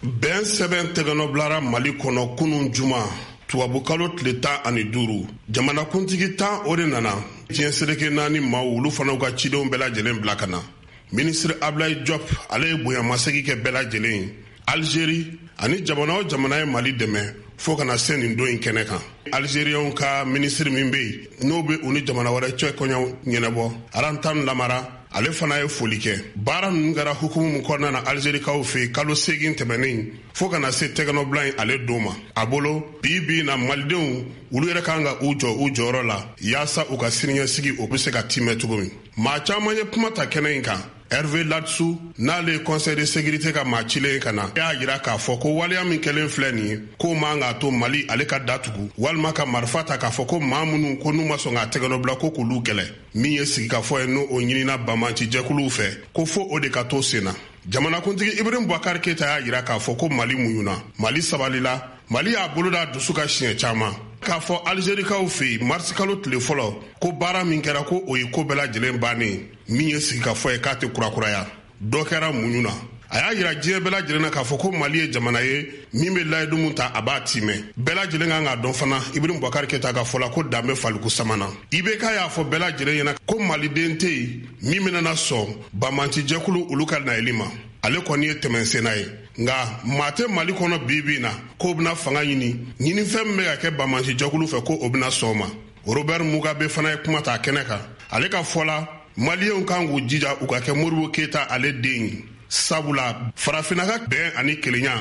Bɛn sɛbɛn tɛgɛnɔ bilara Mali kɔnɔ kunun juma, tubabukalo tile tan ani duuru. Jamanakuntigi tan o de nana diɲɛ seleke naani maaw, olu fana ka cidenw bɛɛ lajɛlen bila ka na. Minisiri Ablaye Diop ale ye bonyamasegin kɛ bɛɛ lajɛlen ye. Algérie ani jamana o jamana ye Mali dɛmɛ fo kana se nin don in kɛnɛ kan. Algériens ka minisiri min bɛ yen n'o bɛ u ni jamana wɛrɛ cɛ kɔɲɔ ɲɛnabɔ, Arantan Lamara, ale fana ye foli kɛ. Baara ninnu kɛra hukumu min kɔnɔna na Algérikaw fɛ yen kalo seegin tɛmɛnen fo kana se tɛgɛnɔbila in ale don ma. A bolo bi bi na, malidenw olu yɛrɛ kan ka u jɔ u jɔyɔrɔ la yaasa u ka siniɲɛsigi o bɛ se ka timɛ cogo min. Maa caman ye kuma ta kɛnɛ in kan. Hervé Ladsous, n'ale ye conseil de sécurité ka maa cilen ka na, y'a jira k'a fɔ ko waleya min kɛlen filɛ nin ye, k'o man k'a to Mali ale ka datugu walima ka marifa ta k'a fɔ ko maa minnu ko n'u ma sɔn k'a tɛgɛnɔ ko k'olu kɛlɛ. Min ye sigikafɔ ye, n'o o ɲinina banbaacijɛkuluw fɛ, ko fo o de ka to sen na. Jamanakuntigi Ibrahim Boubacar Keïta y'a jira k'a fɔ ko Mali muɲuna, Mali sabalila, Mali y'a bolo da dusu ka siɲɛ caman. K'a fɔ Algérikaw fɛ yen marisi kalo tile fɔlɔ ko baara min kɛra ko o ye ko bɛɛ lajɛlen bannen, min ye sigikafɔ ye k'a tɛ kurakuraya. Dɔ kɛra muɲu na. A y'a jira diɲɛ bɛɛ lajɛlen na k'a fɔ ko Mali ye jamana ye min bɛ layidu min ta a b'a timɛ. Bɛɛ lajɛlen kan k'a dɔn fana Ibrahim Boubacar Keïta ka fɔ la ko dan bɛ faliku sama na. I B K y'a fɔ bɛɛ lajɛlen ɲɛna ko maliden tɛ yen min bɛna sɔn banbaacijɛkulu olu ka nayeli ma. Ale kɔni ye tɛmɛsenna ye, nka maa tɛ Mali kɔnɔ bi bi in na k'o bɛna fanga ɲini ɲinifɛn min bɛ ka kɛ banbaacijɛkulu fɛ ko o bɛna sɔn o ma. Robert Mugabe fana ye kuma ta kɛnɛ kan. Ale ka fɔ la, maliyɛnw kan k'u jija u ka kɛ Modibo Keïta ale den ye, sabula farafinna ka bɛn ani kelenya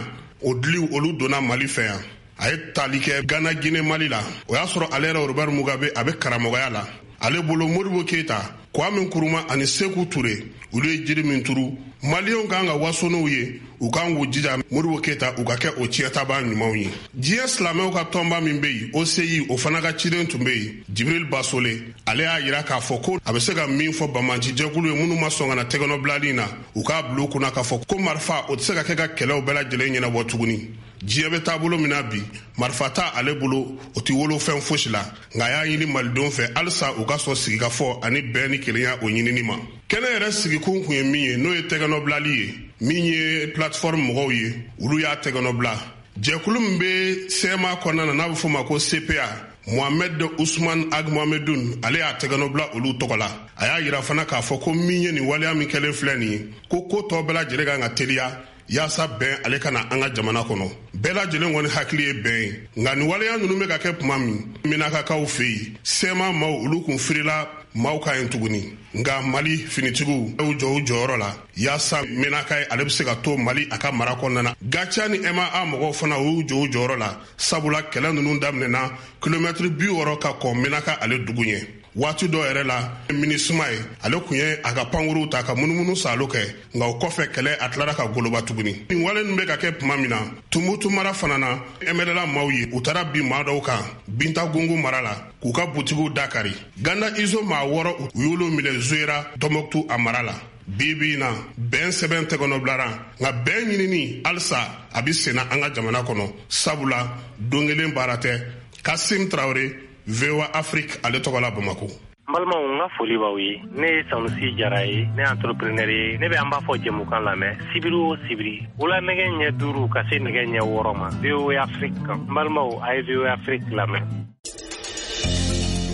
o diliw olu donna Mali fɛ yan. A ye tali kɛ Ghana, Guinée, Mali la. O y'a sɔrɔ ale yɛrɛ Robert Mugabe a bɛ karamɔgɔya la. Ale bolo Modibo Keïta, Kwame Nkrumah ani Sékou Touré olu ye jiri min turu, maliyɛnw kan ka waso n'o ye, u kan k'u jija Modibo Keïta u ka kɛ o tiɲɛtabaa ɲumanw ye. Diɲɛ silamɛw ka tɔnba min bɛ yen O C I, o fana ka ciden tun bɛ yen, Jibril Basole, ale y'a jira k'a fɔ ko a bɛ se ka min fɔ banbaacijɛkulu ye minnu ma sɔn ka na tɛgɛnɔbilali in na, u k'a bila u kunna k'a fɔ ko marifa o tɛ se ka kɛ ka kɛlɛw bɛɛ lajɛlen ɲɛnabɔ tuguni. Diɲɛ bɛ taabolo min na bi, marifa t'a ale bolo, o tɛ wolo fɛn fosi la, nka a y'a ɲini malidenw fɛ halisa u ka sɔn sigikafɔ ani bɛn ni kelenya o ɲinini ma. Kɛnɛ yɛrɛ sigikun kun ye min ye, n'o ye tɛgɛnɔbilali ye, min ye plateforme mɔgɔw ye, olu y'a tɛgɛnɔbila. Jɛkulu min bɛ C M A kɔnɔna na n'a bɛ f'o ma ko C P A, Mohamed Ousmane Ag Mohamedoun, ale y'a tɛgɛnɔbila olu tɔgɔ la. A y'a jira fana k'a fɔ ko min ye nin waleya min kɛlen filɛ nin ye, ko ko tɔ bɛɛ lajɛlen kan ka teliya yaasa bɛn ale ka na an ka jamana kɔnɔ. Bɛɛ lajɛlen kɔni hakili ye bɛn ye, nka nin waleya ninnu bɛ ka kɛ tuma min, Menakakaw fɛ yen, C M A maaw olu kun firila maaw ka yen tuguni. Nka Mali finitigiw y'u jɔ u jɔyɔrɔ la yaasa Menaka ye ale bɛ se ka to Mali a ka mara kɔnɔna na. Gatia ni M A A mɔgɔw fana u y'u jɔ u jɔyɔrɔ la, sabula kɛlɛ ninnu daminɛna kilomɛtiri bi wɔɔrɔ ka kɔn Menaka ale dugu ɲɛ. Waati dɔ yɛrɛ la, MINUSMA ye ale kun ye a ka pankuruw ta ka munumunu salo kɛ, nka o kɔfɛ kɛlɛ a tilara ka goloba tuguni. Nin wale ninnu bɛ ka kɛ tuma min na, Tumutu mara fana na, M N L A maaw ye u taara bin maa dɔw kan Binta Gungu mara la k'u ka butigiw dakari. Ganda Izo maa wɔɔrɔ u y'olu minɛ Zuera Tɔnbɔkutu a mara la. Bi bi in na, bɛn sɛbɛn tɛgɛnɔ bilara, nka bɛn ɲinini halisa a bɛ senna an ka jamana kɔnɔ, sabula don kelen baara tɛ. Kasim Traoré, V O A Afrique ale tɔgɔ la Bamako. N balimaw, n ka foli b'aw ye. Ne ye Sanusi Jara ye, ne ye entrepreneur ye. Ne bɛ an b'a fɔ jɛmukan lamɛn sibiri o sibiri, wula nɛgɛ ɲɛ duuru ka se nɛgɛ ɲɛ wɔɔrɔ ma, V O A Afrique kan. N balimaw, a ye V O A Afrique lamɛn.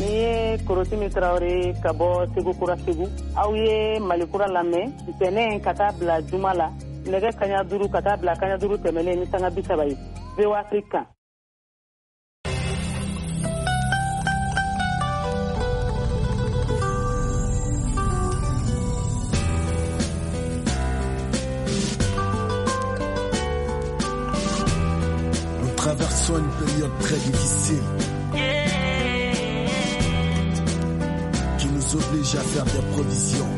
Ni ye Korotimi Tarawele ka bɔ Segu Kura Segu. Aw ye Mali Kura lamɛn ntɛnɛn ka taa bila juma la, nɛgɛ kaɲa duuru ka taa bila kaɲa duuru tɛmɛnen ni sanga bi saba ye, V O A Afrique kan. Traversons une période très difficile qui nous oblige à faire des provisions.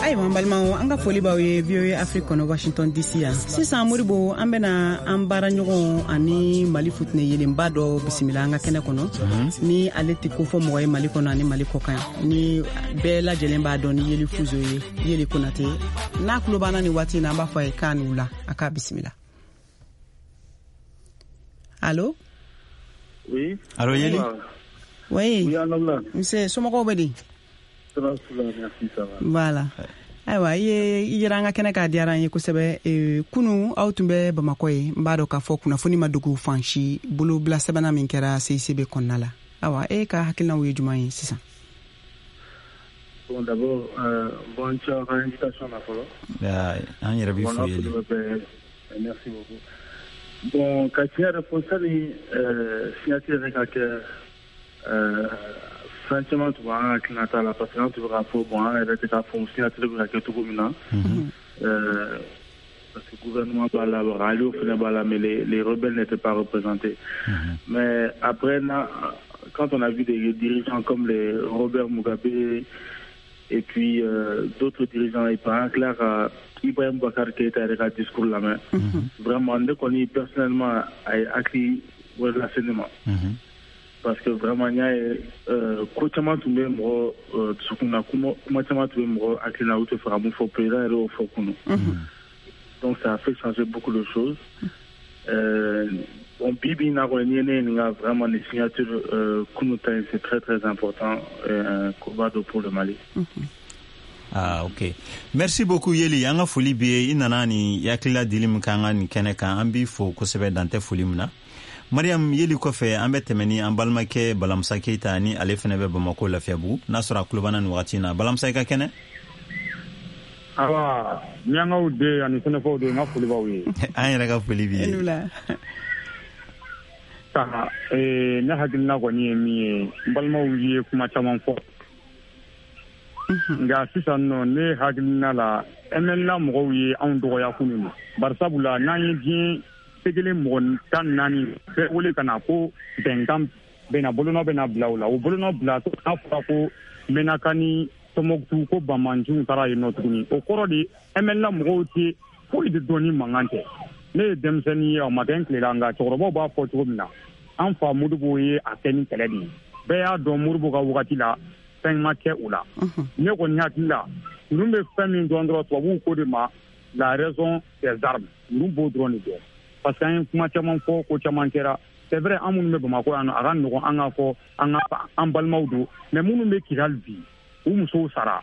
Ayiwa, n balimaw, an ka foli b'aw ye V O A Afrique kɔnɔ, Washington D C yan. Sisan Moribo, an bɛna an baaraɲɔgɔn ani Mali futinɛ yelenba dɔ bisimila an ka kɛnɛ kɔnɔ, ni ale tɛ ko fɔ mɔgɔ ye Mali kɔnɔ ani Mali kɔ kan, ni bɛɛ lajɛlen b'a dɔn ni Yeli Fuzo ye, Yeli Konate. N'a tulo b'an na nin waati in na, an b'a fɔ a ye k'a ni wula, a k'a bisimila. Allô? Oui. Allô, Yeli? Oui. Oui, Anabla. Monsieur, somɔgɔw bɛ di? Ça va, ça va, merci, ça va. Voilà. Ayiwa, i ye i yera an ka kɛnɛ k'a diyara an ye kosɛbɛ. Kunu aw tun bɛ Bamakɔ ye, n b'a dɔn k'a fɔ kunnafoni ma dogo fan si, bolobila sɛbɛnna min kɛra C I C B kɔnɔna la. Ayiwa, e ka hakilinaw ye jumɛn ye sisan? Bon, d'abord, euh, bonne chance à l'invitation na fɔlɔ. An yɛrɛ b'i fo Yeli. Merci beaucoup. Bon, ka tiɲɛ yɛrɛ fɔ, sani signature yɛrɛ ka kɛ, fɛn caman tun b'an hakilinata la, parce que an tun bɛ k'a fɔ, bon, an yɛrɛ tɛ k'a fɔ signature bɛ ka kɛ cogo min na, parce que gouvernement b'a la, Alio fana b'a la, mais les, les rebelles n'étaient pas représentés. Mm-hmm. Mais après, quand on a vu des dirigeants comme les Robert Mugabe et puis euh, d'autres dirigeants, et par exemple, euh, Ibrahim Boubacar Keïta yɛrɛ ka discours lamɛn, vraiment ne kɔni personnellement a ye hakili wɛrɛ lase ne ma, parce que vraiment n y'a ye ko caman tun bɛ mɔgɔ dusukun na, kuma caman tun bɛ mɔgɔ hakili la, u tɛ fɛ ka mun fɔ, président yɛrɛ y'o fɔ kunun. Donc ça a fait changer beaucoup de choses. Euh, bon, bi bi in na kɔni, n'i ye ne ɲininka, vraiment nin signature euh, kunun ta in, c'est très très important, euh, koba dɔ pour le Mali. Ah, ok. Merci beaucoup Yeli. An ka foli b'i ye. I nana ni hakilila dili min k'an ka nin kɛnɛ kan, an b'i fo kosɛbɛ, dan tɛ foli min na. Mariam, Yeli kɔfɛ, an bɛ tɛmɛ ni an balimakɛ Balamusa Keyita, ni ale fɛnɛ bɛ Bamako Lafiyabugu, n'a sɔrɔ a tulo b'an na nin wagati in na. Balamusa, i ka kɛnɛ? Awa, miyankaw den ani sɛnɛfɔw den, n ka foli b'aw ye. An yɛrɛ ka foli b'i ye. Ne hakilina kɔni ye min ye, n balimaw ye kuma caman fɔ. Nka sisan nɔ, ne hakilina la, M N L A mɔgɔw ye anw dɔgɔya kunun na, bari sabula n'an ye diɲɛ segelen mɔgɔ tan ni naani bɛɛ wele ka na ko bɛnkan bɛna bolonɔ bɛna bila o la, o bolonɔ bila n'a fɔra ko Menaka ni Tɔnbɔkutu ko banbaanciw taara yen nɔ tuguni, o kɔrɔ de M N L A mɔgɔw tɛ foyi de dɔn ni mankan tɛ. Ne ye denmisɛnnin ye, a ma kɛ n tile la, nka cɛkɔrɔbaw b'a fɔ cogo min na, an fa Modibo ye a kɛ ni kɛlɛ de ye. Bɛɛ y'a dɔn Modibo ka wagati la fɛn ma kɛ o la. Ne kɔni hakili la, ninnu bɛ fɛn min dɔn dɔrɔn, tubabuw ko de ma la raison des armes, ninnu b'o dɔrɔn de dɔn. Parce que an ye kuma caman fɔ, ko caman kɛra. C'est vrai, an minnu bɛ Bamakɔ yan nɔ, a ka nɔgɔn an k'a fɔ an ka an balimaw don, mais minnu bɛ Kidali bi, u musow sara,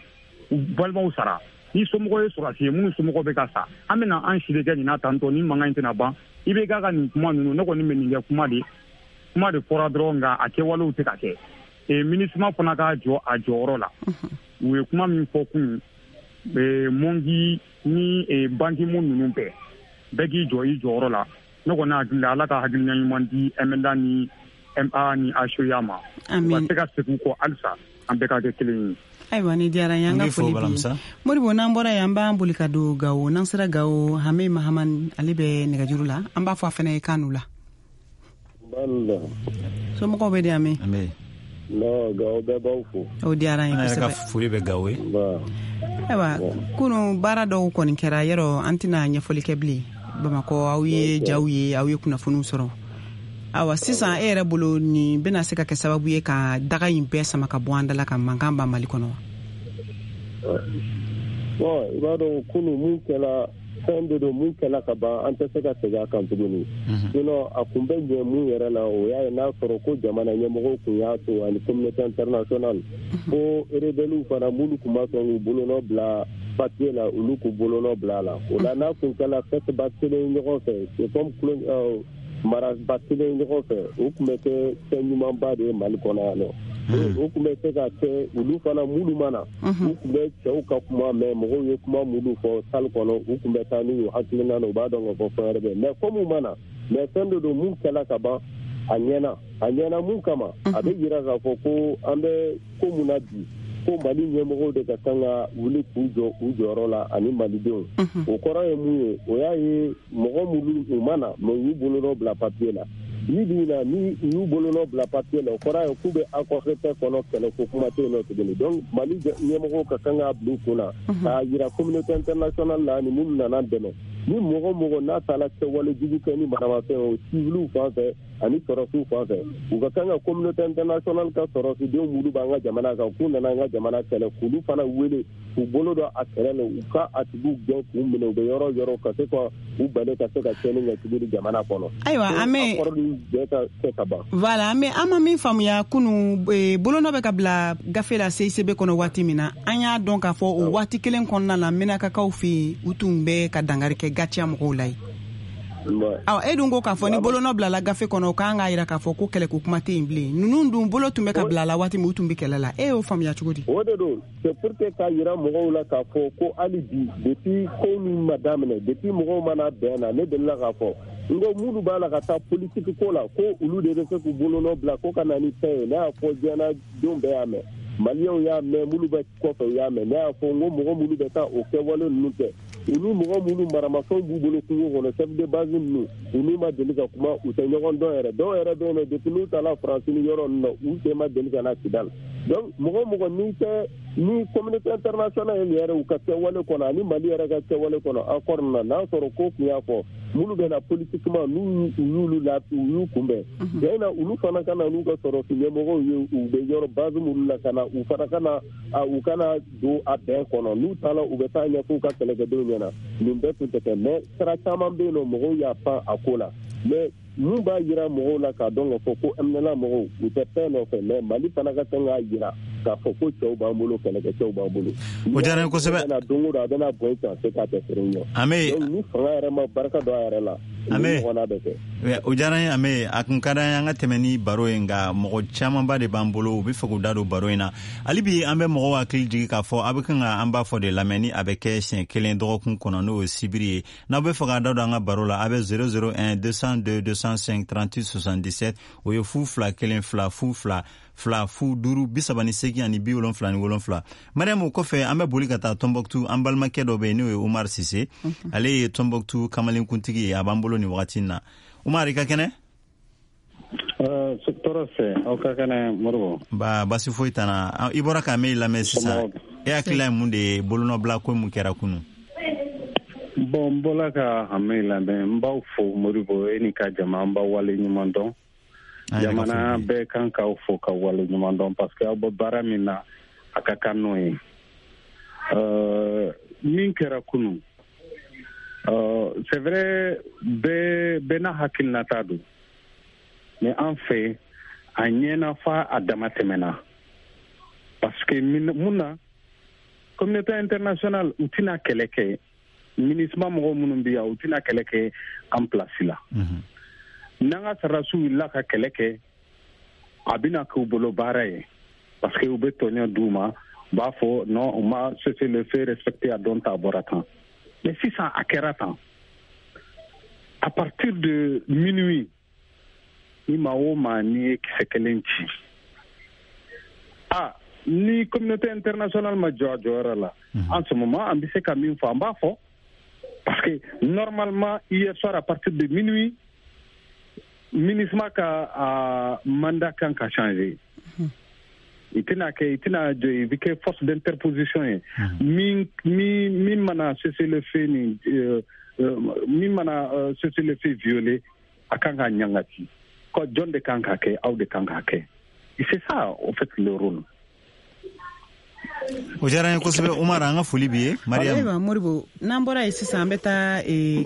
u balimaw sara. Ni somɔgɔ ye sɔrɔdasi ye, minnu somɔgɔw bɛ ka sa, an bɛna an si de kɛ nin na tantɔ, ni mankan in tɛna ban. I bɛ k'a ka nin kuma ninnu, ne kɔni bɛ nin kɛ kuma de, kuma de fɔra dɔrɔn, nka a kɛwalew tɛ ka kɛ. E MINUSMA fana ka jɔ a jɔyɔrɔ la. U ye kuma min fɔ kunun, Mongi ni Ban Ki-moon ninnu bɛɛ, bɛɛ k'i jɔ i jɔyɔrɔ la. Ne kɔni hakili la, Ala ka hakilina ɲuman di M N L A ni M A ni H E A ma. U ka se ka segin kɔ halisa, an bɛɛ ka kɛ kelen ye. Ayiwa, ni diyara n ye, an ka foli b'i ye. Modibo, n'an bɔra yen, an b'an boli ka don Gawo. N'an sera Gawo, Hame Mahamani, ale bɛ nɛgɛjuru la. An b'a fɔ a fana ye k'a n'u la. Somɔgɔw bɛ di Hame? Non, Gawo bɛɛ b'aw fo. O diyara n ye kosɛbɛ. An yɛrɛ ka foli bɛ Gawo ye. Ayiwa, kunun baara dɔw kɔni kɛra, yɔrɔ an tɛna ɲɛfɔli kɛ bilen. Bamakɔ, aw ye jaw ye, aw ye kunnafoniw sɔrɔ. Ayiwa, sisan e yɛrɛ bolo, nin bɛna se ka kɛ sababu ye ka daga in bɛɛ sama ka bɔ an da la, ka mankan ban Mali kɔnɔ wa? Bon, i b'a dɔn kunun mun kɛra Fɛn de don mun kɛla ka ban, an tɛ se ka segin a kan tuguni. Sinon a kun bɛ ɲɛ mun yɛrɛ la, o y'a ye n'a sɔrɔ ko jamana ɲɛmɔgɔw kun y'a to ani communauté internationale ko rebelles fana minnu kun ma sɔn k'u bolonɔ bila papier la, olu k'u bolonɔ bila a la. O la n'a kun kɛla fête ba kelen ɲɔgɔn fɛ, c'est comme maraba kelen ɲɔgɔn fɛ, o tun bɛ kɛ fɛn ɲumanba de ye Mali kɔnɔ yan nɔ. O tun bɛ se ka kɛ olu fana minnu ma na, u tun bɛ cɛw ka kuma mɛn, mɔgɔw ye kuma minnu fɔ salle kɔnɔ, u tun bɛ taa n'u hakilina na, u b'a dɔn k'a fɔ fɛn wɛrɛ bɛ yen. Mais comme u ma na, mais fɛn dɔ don mun kɛla ka ban, a ɲɛna, a ɲɛna mun kama, a bɛ jira k'a fɔ ko an bɛ ko mun na bi, ko Mali ɲɛmɔgɔw de ka kan ka wuli k'u jɔ u jɔyɔrɔ la ani malidenw. O kɔrɔ ye mun ye? O y'a ye mɔgɔ minnu u ma na, mais u y'u bolonɔ bila papier la. Bi bi in na, ni u y'u bolonɔ bila papier la, o kɔrɔ ye k'u bɛ accord de paix kɔnɔ, kɛlɛ ko kuma tɛ yen nɔ tuguni. Donc Mali ɲɛmɔgɔw ka kan k'a bila u kun na k'a jira communauté internationale la ani minnu nana dɛmɛ. Ni mɔgɔ mɔgɔ n'a taara kɛwale jugu kɛ ni maramafɛn o civiliw fan fɛ ani sɔrɔsiw fan fɛ, u ka kan ka communauté internationale ka sɔrɔsidenw minnu b'an ka jamana kan, k'u nana an ka jamana kɛlɛ, k'olu fana wele k'u bolo don a kɛlɛ la, u ka a tigiw gɛn k'u minɛ u bɛ yɔrɔ yɔrɔ ka se ka u bali ka se ka tiɲɛni kɛ tuguni jamana kɔnɔ. Ayiwa, an bɛ accord nin bɛɛ ka kɛ ka ban. Voilà, an bɛ an ma min faamuya kunun, bolonɔ bɛ ka bila gafe la C I C B kɔnɔ waati min na, an y'a dɔn k'a fɔ o waati kelen kɔnɔna la Menakakaw fɛ yen, u tun bɛ ka dankari kɛ Gatiya mɔgɔw la yen. Aw e dun ko k'a fɔ ni bolonɔ bilala gafe kɔnɔ, o k'an k'a jira k'a fɔ ko kɛlɛko kuma tɛ yen bilen. Ninnu dun bolo tun bɛ ka bila la waati min, u tun bɛ kɛlɛ la. E y'o faamuya cogo di? O de don, c'est pour que k'a jira mɔgɔw la k'a fɔ ko hali bi, depuis ko min ma daminɛ, depuis mɔgɔw mana bɛn na, ne delila k'a fɔ n ko minnu b'a la ka taa politique ko la, ko olu de bɛ se k'u bolonɔ bila ko ka na ni fɛn ye. Ne y'a fɔ diɲɛnadenw bɛɛ y'a mɛn, maliyɛnw y'a mɛn, minnu bɛ kɔfɛ u y'a mɛn. Ne y'a fɔ n ko mɔgɔ minnu bɛ taa o kɛwale ninnu kɛ, olu mɔgɔ minnu maramafɛnw b'u bolo kungo kɔnɔ, chef de base ninnu, olu ma deli ka kuma, u tɛ ɲɔgɔn dɔn yɛrɛ. Dɔw yɛrɛ bɛ yen nɔ, depuis n'u taara Faransi ni yɔrɔ ninnu na, u sen ma deli ka na Kidali. Donc mɔgɔ mɔgɔ n'i tɛ ni communauté internationale yɛrɛ u ka kɛwale kɔnɔ ani Mali yɛrɛ ka kɛwale kɔnɔ accord ninnu na, n'a sɔrɔ ko tun y'a fɔ minnu bɛ na politiquement, n'u y'olu la, u y'u kunbɛn jɛ na, olu fana ka na n'u ka sɔrɔsi ɲɛmɔgɔw ye, u bɛ yɔrɔ base minnu la ka na, u fana ka na u kana don a bɛn kɔnɔ. N'u taara, u bɛ taa ɲɛfɔ u ka kɛlɛkɛdenw ɲɛna. Nin bɛɛ tun tɛ kɛ, mais sira caman bɛ yen nɔ, mɔgɔw y'a pan a ko la. Mais mun b'a jira mɔgɔw la k'a dɔn k'a fɔ ko M N L A mɔgɔw u tɛ fɛn nɔfɛ, mais Mali fana ka kan k'a jira k'a fɔ ko cɛw b'an bolo, kɛlɛkɛcɛw b'an bolo. O diyara n ye kosɛbɛ. Don o don a bɛna bɔ i kan se k'a tɛ feere ɲɛ. Ame ni fanga yɛrɛ ma barika don a yɛrɛ la, Ame ɲɔgɔnna bɛ kɛ. O diyara n ye Ame, a kun ka d'an ye an ka tɛmɛ ni baro ye, nka mɔgɔ camanba de b'an bolo, u bɛ fɛ k'u da don baro in na. Hali bi an bɛ mɔgɔw hakili jigin k'a fɔ a bɛ kan ka an b'a fɔ de lamɛn ni a bɛ kɛ siɲɛ kelen dɔgɔkun kɔnɔ, n'o ye sibiri ye. N'aw bɛ fɛ k'a da don an ka baro la, a bɛ zéro zéro un deux cent deux deux cent cinq trente-huit soixante-dix-sept, o ye fu fila kelen fila fu fila fila fu duuru bi saba ni seegin ani bi wolonfila ni wolonfila. Mariam, o kɔfɛ an bɛ boli ka taa Tombouctou, an balimakɛ dɔ bɛ yen n'o ye Umar Sise, ale ye Tombouctou kamalenkuntigi ye, a b'an bolo nin wagati in na. Umar, i ka kɛnɛ? Tɔɔrɔ fɛ, aw ka kɛnɛ Moribo? Ba basi foyi t'an na. I bɔra ka min lamɛn sisan, e hakilila ye mun de ye bolonɔbila ko mun kɛra kunun? Bon, n bɔla ka Hame lamɛn, n b'aw fo Moribo, e ni ka jama, n b'aw wale ɲuman dɔn. Jamana bɛɛ kan k'aw fo ka wale ɲuman dɔn, parce que aw bɛ baara min na, a ka kan n'o ye. Min kɛra kunun, c'est vrai, bɛɛ bɛɛ n'a hakilinata don, mais an fɛ a ɲɛna fa a dama tɛmɛna, parce que mun na communauté internationale u tɛna kɛlɛ kɛ, MINUSMA mɔgɔw minnu bɛ yan, u tɛna kɛlɛ kɛ an place la. N'an ka sɔrɔdasiw wulila ka kɛlɛ kɛ, a bɛna k'u bolo baara ye, parce que u bɛ tɔɲɔ d'u ma, u b'a fɔ non, u ma cessez-le-feu respecté, a dɔn ta bɔra tan. Mais sisan a kɛra tan, à partir de minuit, ni maa o maa n'i ye kisɛ kelen ci, ah, ni communauté internationale ma jɔ a jɔyɔrɔ la, en ce moment an bɛ se ka min fɔ, an b'a fɔ, parce que normalement hier soir à partir de minuit, MINUSMA ka uh, mandat kan ka changer. I tɛna kɛ, i tɛna jɔ, i bɛ kɛ force d'interposition ye. Min min min mana cessez-le-feu ni min mana cessez-le-feu violer, a kan ka ɲangati. Ko jɔn de kan ka kɛ, aw de kan ka kɛ. Et c'est ça, en fait, le rôle. O diyara n ye kosɛbɛ Umar, an ka foli b'i ye. Mariam. Ayiwa Moribo, n'an bɔra yen sisan, an bɛ taa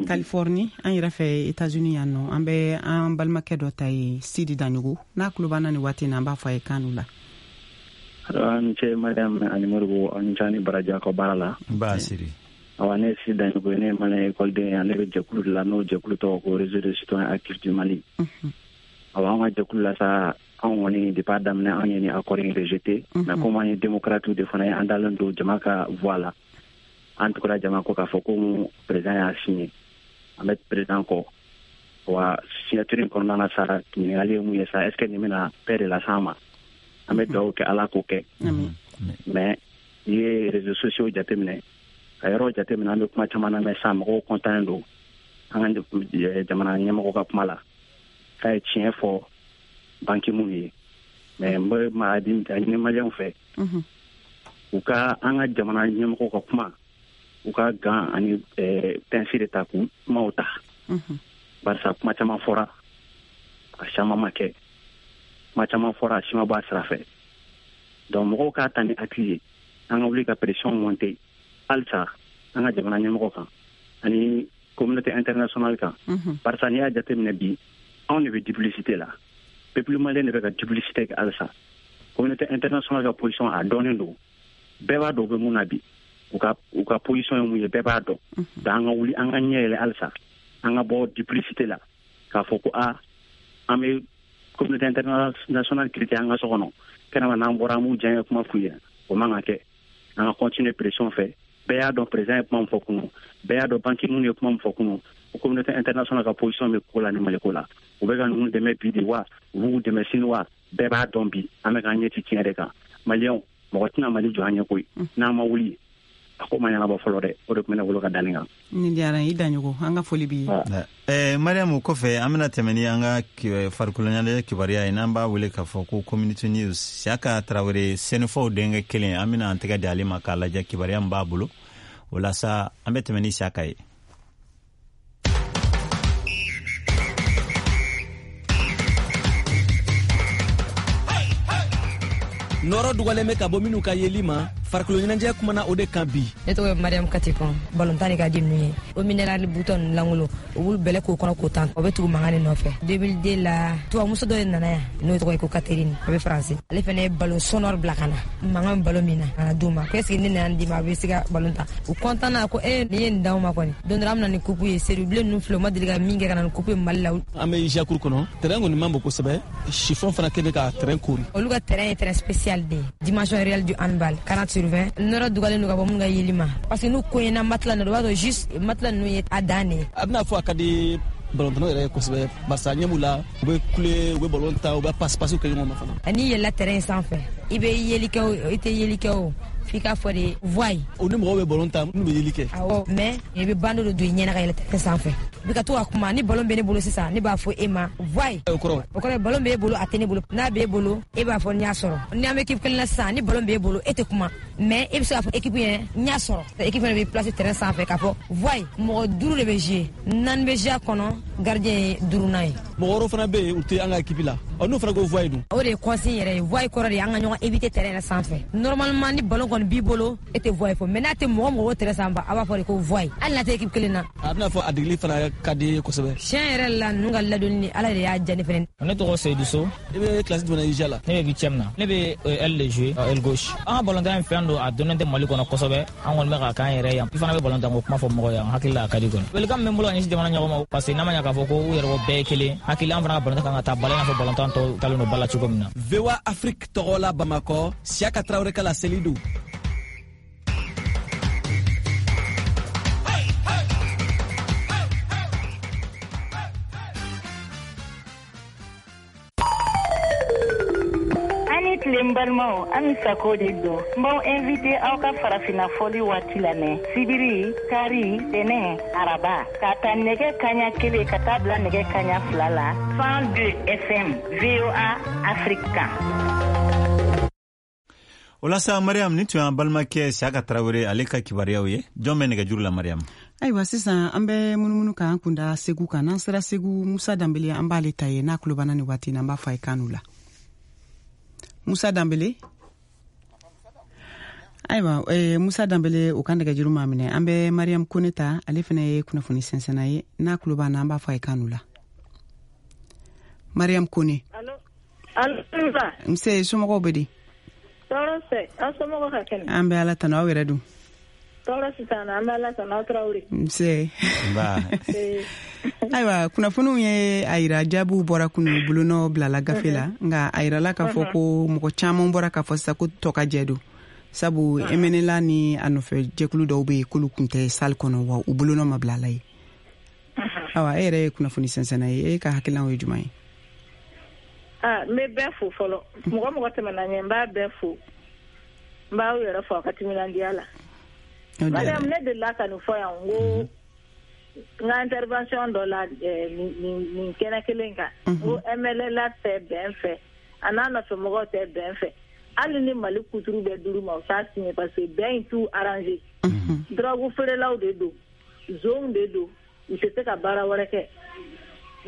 Californie, an yɛrɛ fɛ États-Unis yan nɔ, an bɛ an balimakɛ dɔ ta yen, Sidi Daɲogo. N'a tulo b'an na nin waati in na, an b'a fɔ a ye kan la. An ni ce Mariam ani Moribo, aw ni ce ani baraji aw ka baara la. Ba Sidi. Awa, ne ye Sidi Daɲogo ye, ne ye malien ekɔliden ye, ale bɛ jɛkulu de la, n'o jɛkulu tɔgɔ ko Réseau de citoyens actifs du Mali. Awa, an ka jɛkulu la sa, anw kɔni depuis a daminɛ anw ye ni accord in rejeté, mais comme an ye démocrate de fana ye, an dalen don jama ka voix la, an tugura jama kɔ k'a fɔ ko président y'a signé, an bɛ président kɔ. Wa signature in kɔnɔna na sa, ɲininkali ye mun ye sa, est ce que nin bɛna paix de las'an ma? An bɛ dugawu kɛ Ala k'o kɛ. Mais n'i ye réseaux sociaux jateminɛ, ka yɔrɔ jateminɛ, an bɛ kuma caman na mɛn sa, mɔgɔw content don an ka jamana ɲɛmɔgɔ ka kuma la k'a ye tiɲɛ fɔ banque mun ye. Mais n bɛ maa di a ɲini maliyɛnw fɛ, u ka an ka jamana ɲɛmɔgɔw ka kuma, u ka gan ani pɛnsi de ta k'u kumaw ta, barisa kuma caman fɔra, a caman ma kɛ, kuma caman fɔra, a si ma bɔ a sira fɛ. Donc mɔgɔw k'a ta ni hakili ye, an ka wuli ka pression monter halisa an ka jamana ɲɛmɔgɔ kan ani communauté internationale kan, barisa n'i y'a jateminɛ bi, anw de bɛ duplicité la, peuple malien de bɛ ka duplicité kɛ halisa. Communauté internationale ka position a dɔnnen don, bɛɛ b'a dɔn u bɛ mun na bi, u ka u ka position ye mun ye, bɛɛ b'a dɔn. Donc an ka wuli, an ka ɲɛ yɛlɛ halisa, an ka bɔ duplicité la k'a fɔ ko a an bɛ communauté internationale critiquer an ka so kɔnɔ, kɛnɛma n'an bɔra an b'u diyaɲɛ kuma f'u ye, o man ka kɛ. An ka continuer pression fɛ. Bɛɛ y'a dɔn président ye kuma min fɔ kunun, bɛɛ y'a dɔn banque mun ye kuma min fɔ kunun, o communauté internationale ka position bɛ ko la ni Mali ko la. U bɛ ka ninnu dɛmɛ bi de wa, u b'u dɛmɛ sini wa, bɛɛ b'a dɔn bi an bɛ k'an ɲɛ ci tiɲɛ de kan. Maliyɛnw, mɔgɔ tɛna Mali jɔ an ɲɛ koyi, n'an ma wuli a ko ma ɲɛnabɔ fɔlɔ dɛ. O de tun bɛ ne bolo ka da nin kan. Nin diyara n ye, i Daɲogo, an ka foli b'i ye. Eh, Mariam, o kɔfɛ an bɛna tɛmɛ ni an ka farikolo ɲɛnajɛ kibaruya ye, n'an b'a wele k'a fɔ ko community news. Siaka Tarawele, Sɛnɛfɔw denkɛ kelen, an bɛna an tɛgɛ di ale ma k'a lajɛ kibaruya min b'a bolo. O la sa, an bɛ tɛmɛ ni Siaka ye. Nɔrɔ dugalen bɛ ka bɔ minnu ka yeli ma, farikolo ɲɛnajɛ kumana o de kan bi. Ne tɔgɔ ye Mariam Katikɔn, balontan de ka di ninnu ye. O minéral butɔn ninnu lankolon, u b'olu bɛlɛ k'o kɔnɔ k'o tan, o bɛ tugu mankan de nɔfɛ. deux mille deux la, tubabumuso dɔ de nana yan, n'o tɔgɔ ye ko Catherine, a bɛ Faransi. Ale fana ye ballon sonore bila ka na, mankan bɛ ballon min na, ka na d'u ma. Ko est ce que ne nana d'i ma, a bɛ se ka ballon ta. U content na ko e nin ye nin d'anw ma kɔni. Don dɔ la an bɛ na ni coupe ye, Seydou ninnu filɛ, u ma deli ka min kɛ ka na ni coupe ye Mali la. An bɛ Jakuru kɔnɔ, terrain kɔni man bon kosɛbɛ, chiffon fana kɛlen ka terrain kori. Olu ka terrain ye terrain spécial de ye, dimension réelle du handball, quarante sur vingt. Nɔrɔ dugalen don ka bɔ minnu ka yeli ma, parce que n'u koɲɛna matelas ninnu, o b'a sɔrɔ juste matelas ninnu ye a dan de ye. A bɛna fɔ a ka di balontannaw yɛrɛ ye kosɛbɛ, barisa ɲɛ b'u la, u bɛ kule, u bɛ balon ta, u bɛ passe passe kɛ ɲɔgɔn ma fana. N'i yɛlɛla terrain sanfɛ, i bɛ yeli kɛ o, i tɛ yeli kɛ o, f'i k'a fɔ de voie. O ni mɔgɔw bɛ balon ta, minnu bɛ yeli kɛ. Awɔ, mais i bɛ bandeau de don i ɲɛna ka yɛlɛ terrain sanfɛ. I bɛ ka to ka kuma, ni ballon bɛ ne bolo sisan, ne b'a fɔ e ma voie. O kɔrɔ? O kɔrɔ ye ballon b'e bolo, a tɛ ne bolo. N'a b'e bolo, e b'a fɔ n y'a sɔrɔ. Ni an bɛ équipe kelen na sisan, ni ballon b'e bolo, e tɛ kuma. Mais e bɛ se k'a fɔ équipe ɲɛna n y'a sɔrɔ. Équipe fana bɛ place terrain sanfɛ k'a fɔ voie. Mɔgɔ duuru de bɛ jouer, naani bɛ jouer a kɔnɔ, gardien ye duurunan ye. Mɔgɔ wɛrɛw fana bɛ yen, u tɛ an ka équipe la. Ɔ n'o fana ko voie dun? O de ye consigne yɛrɛ ye. Voie kɔrɔ de ye an ka ɲɔgɔn éviter terrain yɛrɛ sanfɛ. Normalement ni ballon kɔni b'i bolo, e tɛ voie fɔ. Mais n'a tɛ mɔgɔ mɔgɔ terrain sanfɛ, a b'a fɔ de ko voie. Hali n'a tɛ équipe kelen na. A bɛna fɔ a degeli fana ka di kosɛbɛ. Tiɲɛ yɛrɛ la, ninnu ka ladonni ni Ala de y'a diya ne fɛnɛ. Ne tɔgɔ Seydou So. I bɛ classe jumɛn na I J A la? Ne bɛ huitième na. Ne bɛ aile de jouer, aile gauche. An ka balontan in fɛn don, a donnen tɛ Mali kɔnɔ kosɛbɛ. An kɔni bɛ ka k'an yɛrɛ yan. I fana bɛ balontan ko kuma fɔ mɔgɔ ye, an hakili la a ka di kɔni. Welekan min bɛ n bolo ka ɲɛsin jamana ɲɛmɔgɔ ma, parce que n'a ma ɲɛ k'a fɔ ko u yɛrɛ bɛɛ ye kelen, hakili an fana ka balontan kan ka taa ba la i n'a fɔ balontan tɔw talen don ba la cogo min na. V O A Afrique tɔgɔ la Bamakɔ, Siaka Traoré ka laseli don. N balimaw, an ni Sako de don. N b'aw invité aw ka farafinna fɔli waati lamɛn, sibiri, kari, tɛnɛ, araba, ka ta nɛgɛ kaɲa kelen ka taa bila nɛgɛ kaɲa fila la, cent deux F M, V O A Afrique kan. O la sa, Mariam, ni tun y'an balimakɛ Siaka Tarawele ale ka kibaruyaw ye. Jɔn bɛ nɛgɛjuru la, Mariam? Ayiwa, sisan an bɛ munumunu k'an kunda Segu kan. N'an sera Segu, Musa Danbele, an b'ale ta ye. N'a tulo b'an na nin waati in na, an b'a fɔ a ye kan la. Musa Danbele. Ayiwa eh, Musa Danbele, o kan nɛgɛjuru ma minɛ. An bɛ Mariam Kone ta, ale fana ye kunnafoni sɛnsɛnna ye. N'a tulo b'an na, an b'a fɔ a ye k'an la. Mariam Kone. Allo, allo. Nse, somɔgɔw bɛ di? Tɔɔrɔ tɛ, aw somɔgɔw ka kɛnɛ? An bɛ Ala tanu, aw yɛrɛ dun? Tɔɔrɔ sisan, an bɛ Ala tanu, aw Tarawele. Nse. Ayiwa, kunnafoniw ye a yira, jaabiw bɔra kunu, bolonɔ bilala gafe la, nka a yirala k'a fɔ ko mɔgɔ caman bɔra k'a fɔ sisan ko tɔ ka jɛ don, sabu M N L A ni a nɔfɛ jɛkulu dɔw bɛ yen k'olu tun tɛ salle kɔnɔ, wa u bolonɔ ma bila a la ye. Ayiwa, e yɛrɛ ye kunnafoni sɛnsɛnna ye, e ka hakilinaw ye jumɛn ye? Ah, n bɛ bɛɛ fo fɔlɔ. Mɔgɔ mɔgɔ tɛmɛna ɲɛ, n b'a bɛɛ fo, n b'aw yɛrɛ fo a ka timinandiya la. Mariam, ne delila ka nin fɔ yan, n ko n ka intervention dɔ la nin nin kɛnɛ kelen kan, n ko M N L A tɛ bɛn fɛ, a n'a nɔfɛ mɔgɔw tɛ bɛn fɛ. Hali ni Mali kuturu bɛ duuru ma, u t'a signé, parce que bɛn in t'u arranger. Drogue feerelaw de don, zonw de don, u tɛ se ka baara wɛrɛ kɛ.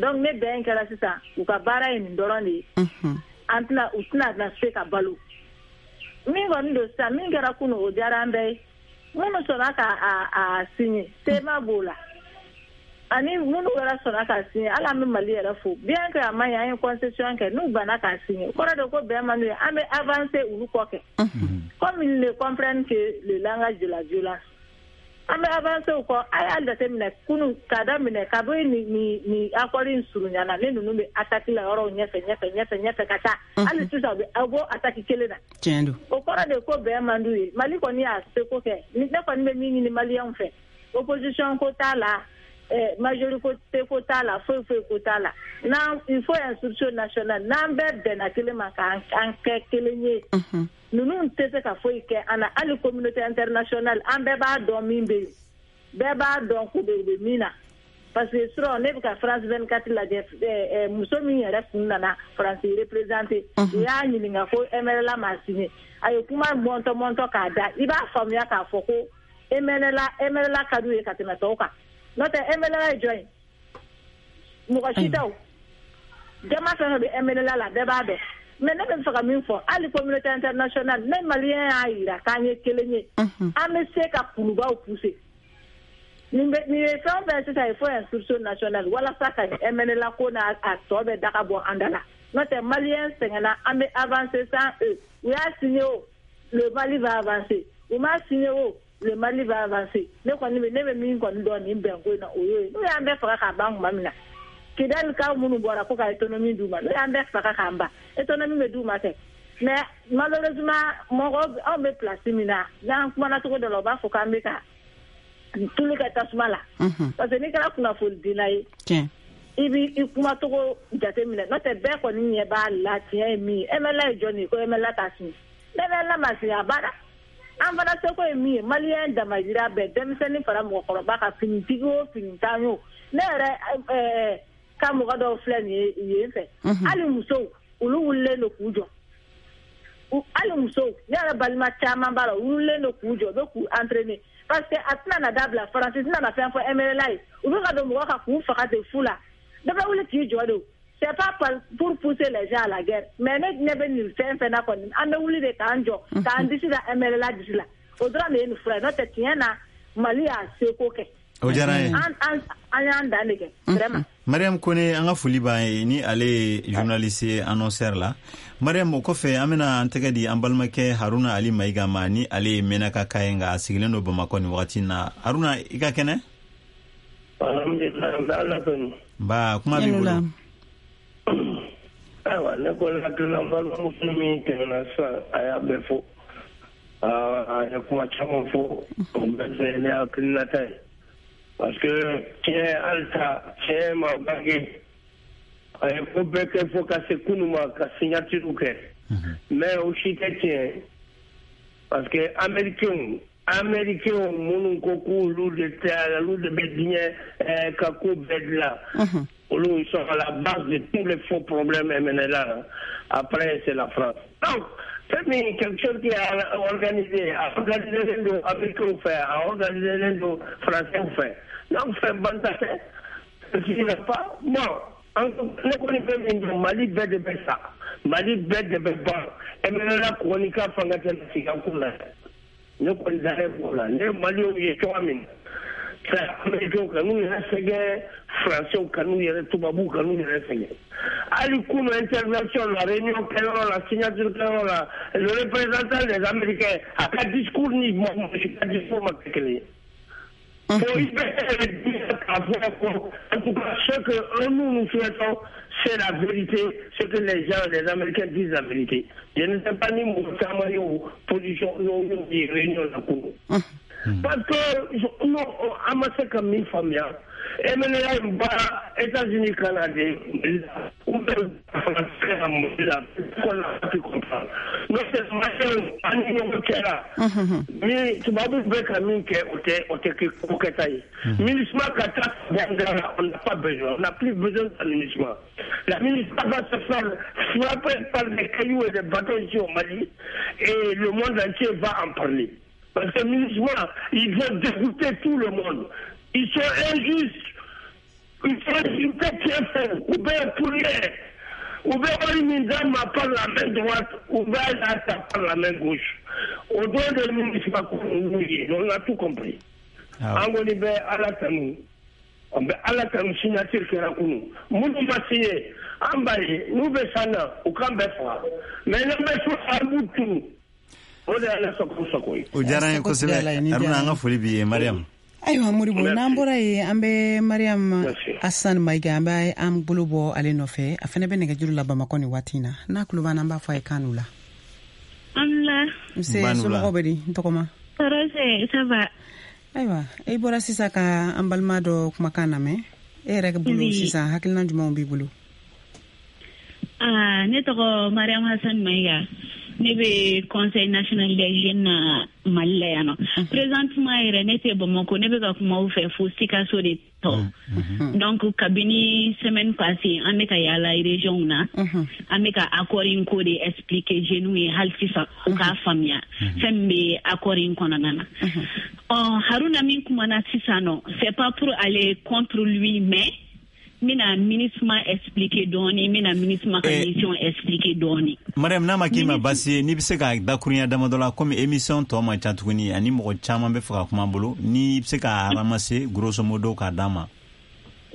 Donc ne bɛn kɛra sisan, u ka baara ye nin dɔrɔn de ye. An tɛna, u tɛna na se ka balo. Min kɔni don sisan, min kɛra kunun, o diyara an bɛɛ ye. Minnu sɔnna ka a a signé, C M A b'o la, ani minnu yɛrɛ sɔnna k'a signé, hali an bɛ Mali yɛrɛ fo. Bien que a ma ɲi, an ye concession kɛ, n'u banna k'a signé, o kɔrɔ de ko bɛn man d'u ye. An bɛ avancer olu kɔ kɛ, comme ils ne comprennent que le langage de la violence, an bɛ avancer o kɔ. A y'a jateminɛ kunun k'a daminɛ kabi ni ni ni accord in surunyana, ne ninnu bɛ attaque la yɔrɔw ɲɛfɛ ɲɛfɛ ɲɛfɛ ɲɛfɛ ka taa, hali sisan u bɛ aw bɔ attaque kelen na. Tiɲɛ don. O kɔrɔ de ko bɛn man d'u ye. Mali kɔni y'a seko kɛ. Ne kɔni bɛ min ɲini maliyɛnw fɛ, opposition ko t'a la, eh, majorité ko t'a la, foyi foyi ko t'a la. N'an, il faut un sursaut national. N'an bɛɛ bɛnna kelen ma k'an an kɛ kelen ye, ninnu tɛ se ka foyi kɛ an na. Hali communauté internationale, an bɛɛ b'a dɔn min bɛ yen, bɛɛ b'a dɔn k'u bɛ u bɛ min na, parce que surɔ ne bɛ ka France vingt-quatre lajɛ, eh, eh, muso min yɛrɛ kun nana France représenter, u y'a ɲininka ko M N L A ma signé, a ye kuma mɔntɔ mɔntɔ k'a da, i b'a faamuya k'a fɔ ko M N L A M N L A ka d'u ye ka tɛmɛ tɔw kan. N'o tɛ, M N L A ye jɔn ye? Mɔgɔ si tɛ. O jama fɛn fɛn bɛ M N L A la, bɛɛ b'a dɔn. Mais ne bɛ fɛ ka min fɔ, hali communauté internationale, ne maliyɛn y'a yira k'an ye kelen ye, an bɛ se ka kulubaw pousser. Nin bɛ nin ye fɛn o fɛn sisan, il faut un sursaut national walasa ka M N L A ko n'a a tɔ bɛɛ daga bɔ an da la. N'o tɛ, maliyɛn sɛgɛnna. An bɛ avancer sans eux. U y'a signé o, le Mali va avancer. U m'a signé o, le Mali va avancer. Ne kɔni bɛ ne bɛ min kɔni dɔn nin bɛnko in na, o y'o ye. N'u y'an bɛɛ faga k'a ban tuma min na, Kidali kaw minnu bɔra ko ka autonomie d'u ma, n'u y'an bɛɛ faga k'an ban, autonomie bɛ d'u ma kɛ. Mais malheureusement, mɔgɔ anw bɛ place min na, n'an kumana cogo dɔ la, u b'a fɔ k'an bɛ ka tulu kɛ tasuma la, parce que n'i kɛra kunnafonidila ye, i b'i i kumacogo jateminɛ. N'o tɛ, bɛɛ kɔni ɲɛ b'a la, tiɲɛ ye min ye. M N L A ye jɔn ye ko M N L A t'a signé? M N L A ma signé, a banna. An fana seko ye min ye, maliyɛn damayira bɛɛ, denmisɛnnin fara mɔgɔkɔrɔba kan, finitigi o finitan o, ne yɛrɛ ɛɛ ka mɔgɔ dɔw filɛ nin ye yen fɛ, hali musow, olu wulilen don k'u jɔ. Hali musow, ne yɛrɛ balima caman b'a la, u wulilen don k'u jɔ, u bɛ k'u entraîner, parce que a tɛna na dabila. Faransi tɛna na fɛn fɔ M N L A ye. U bɛ ka don mɔgɔ kan k'u faga ten fu la, dɔ bɛ wuli k'i jɔ de. C'est pas pour pousser les gens à la guerre, mais ne ɲɛ bɛ nin fɛn fɛn na kɔni, an bɛ wuli de k'an jɔ k'an disi da M N L A disi la. O dɔrɔn de ye nin fura ye. N'o tɛ, tiɲɛ na, Mali y'a seko kɛ. O diyara n ye. An an an y'an dan de kɛ vraiment. Mariam Kone, an ka foli b'a ye, ni ale ye journaliste ye annonceur la. Mariam, o kɔfɛ, an bɛna an tɛgɛ di an balimakɛ Haruna Ali Mayiga ma, ni ale ye Menaka ka ye, nka a sigilen don Bamakɔ nin wagati in na. Haruna, i ka kɛnɛ? Alhamdulilayi, n bɛ Ala tanu. Nba, kuma b'i bolo. Ayiwa, ne kɔni hakilila, n balimamuso min tɛmɛna sisan, a y'a bɛɛ fɔ, a ye kuma caman fɔ, o bɛɛ fɛ ne hakilinata ye, parce que tiɲɛ halisa tiɲɛ ma bange. A ye ko bɛɛ kɛ fo ka se kunun ma ka signature kɛ, mais o si tɛ tiɲɛ, parce que américains américains minnu ko k'olu de tɛ, olu de bɛ diɲɛ ka ko bɛɛ dilan, olu, ils sont à la base de tous les faux problèmes M N L A. Après, c'est la France. Donc fɛn min, quelque chose qui est organisé, a organisé don américains fɛ, a organisé don français fɛ, donc fɛn banta tɛ, ce qui n'est pas bon. Ne kɔni fɛn min dɔn, Mali bɛɛ de bɛ sa, Mali bɛɛ de bɛ ban. M N L A kɔni ka fanga tɛ sigi an kun na. Ne kɔni dalen b'o la. Ne Maliyɛnw ye cogoya min na, Américains ka n'u yɛrɛ sɛgɛn, Français ka n'u yɛrɛ, tubabuw ka n'u yɛrɛ sɛgɛn. Hali kunu intervention la, réunion kɛyɔrɔ la, signature kɛyɔrɔ la, le représentant des Américains a ka discours ni mɔgɔ si ka discours ma kɛ kelen ye. Faut y dire k'a fɔ ko en tout cas ce que nous nous souhaitons, c'est la vérité, ce que les gens, les Américains disent la vérité. Je ne sais pas ni mɔgɔ caman ye o position n'o ye réunion la kunu. Parce que non, an ma se ka min faamuya, M N L A in baara États-Unis ka na de Mali la ou bien France ka na Mali la, qu'on n'a pas pu comprendre. N'o tɛ Maliyɛnw an ni ɲɔgɔn cɛ la, ni tubabuw bɛ ka min kɛ, o tɛ o tɛ kɛ ko kɛta ye. MINUSMA ka taa Bandiagara, on n'a pas besoin, on n'a plus besoin de la MINUSMA. La MINUSMA va se faire frapper par des cailloux et des bâtons ici au Mali et le monde entier va en parler. Parce que MINUSMA, ils vont dégoûter tout le monde. Ils sont injustes. Ils sont injustes, ou bien pour rien. Ou bien on m'a par la main droite, ou bien là, par la main gauche. Au don de MINUSMA, on a tout compris. An kɔni bɛ Ala tanu. An bɛ Ala tanu signature kɛra kunu. Minnu ma signé, an b'a ye n'u bɛ san na, u k'an bɛɛ faga. Mais n'an bɛ so, an b'u tunu. O de y'Ala sago sago ye. O diyara an ye kosɛbɛ. Haruna, an ka foli b'i ye. Mariam. Ayiwa Modibo, n'an bɔra yen, an bɛ Mariam Hassan Mayiga, an bɛ an bolo bɔ ale nɔfɛ. A fana bɛ nɛgɛjuru la Bamakɔ nin waati in na. N'a tulo b'an na, an b'a fɔ a ye k'an n'u la. An la. Nse, somɔgɔw bɛ di? N tɔgɔma. Tɔɔrɔ tɛ, ça va. Ayiwa, e bɔra sisan ka an balima dɔ kumakan lamɛn. E yɛrɛ bolo sisan, hakilina jumɛnw b'i bolo? Ah, ne tɔgɔ Mariam Hassan Mayiga. Ne bɛ Conseil national des jeunes na Mali la yan nɔ. Présentement yɛrɛ ne tɛ Bamakɔ, ne bɛ ka kuma aw fɛ fo Sikaso de tɔ. Donc kabini semaine passée, an bɛ ka yaala région na. An bɛ ka accord in ko de expliquer jeunes ye hali sisan u k'a faamuya fɛn min bɛ accord in kɔnɔna na. Ɔ Haruna min kumana sisan nɔ, c'est pas pour aller contre lui, mais n bɛna MINUSMA expliquer dɔɔni, n bɛna MINUSMA ka mission expliquer dɔɔni. Mariam, n'a ma k'i ma baasi ye, n'i bɛ se ka dakurunya damadɔ la, komi émission tɔ man ca tuguni ani mɔgɔ caman bɛ fɛ ka kuma bolo, n'i bɛ se ka ramasser grosso modo k'a d'an ma.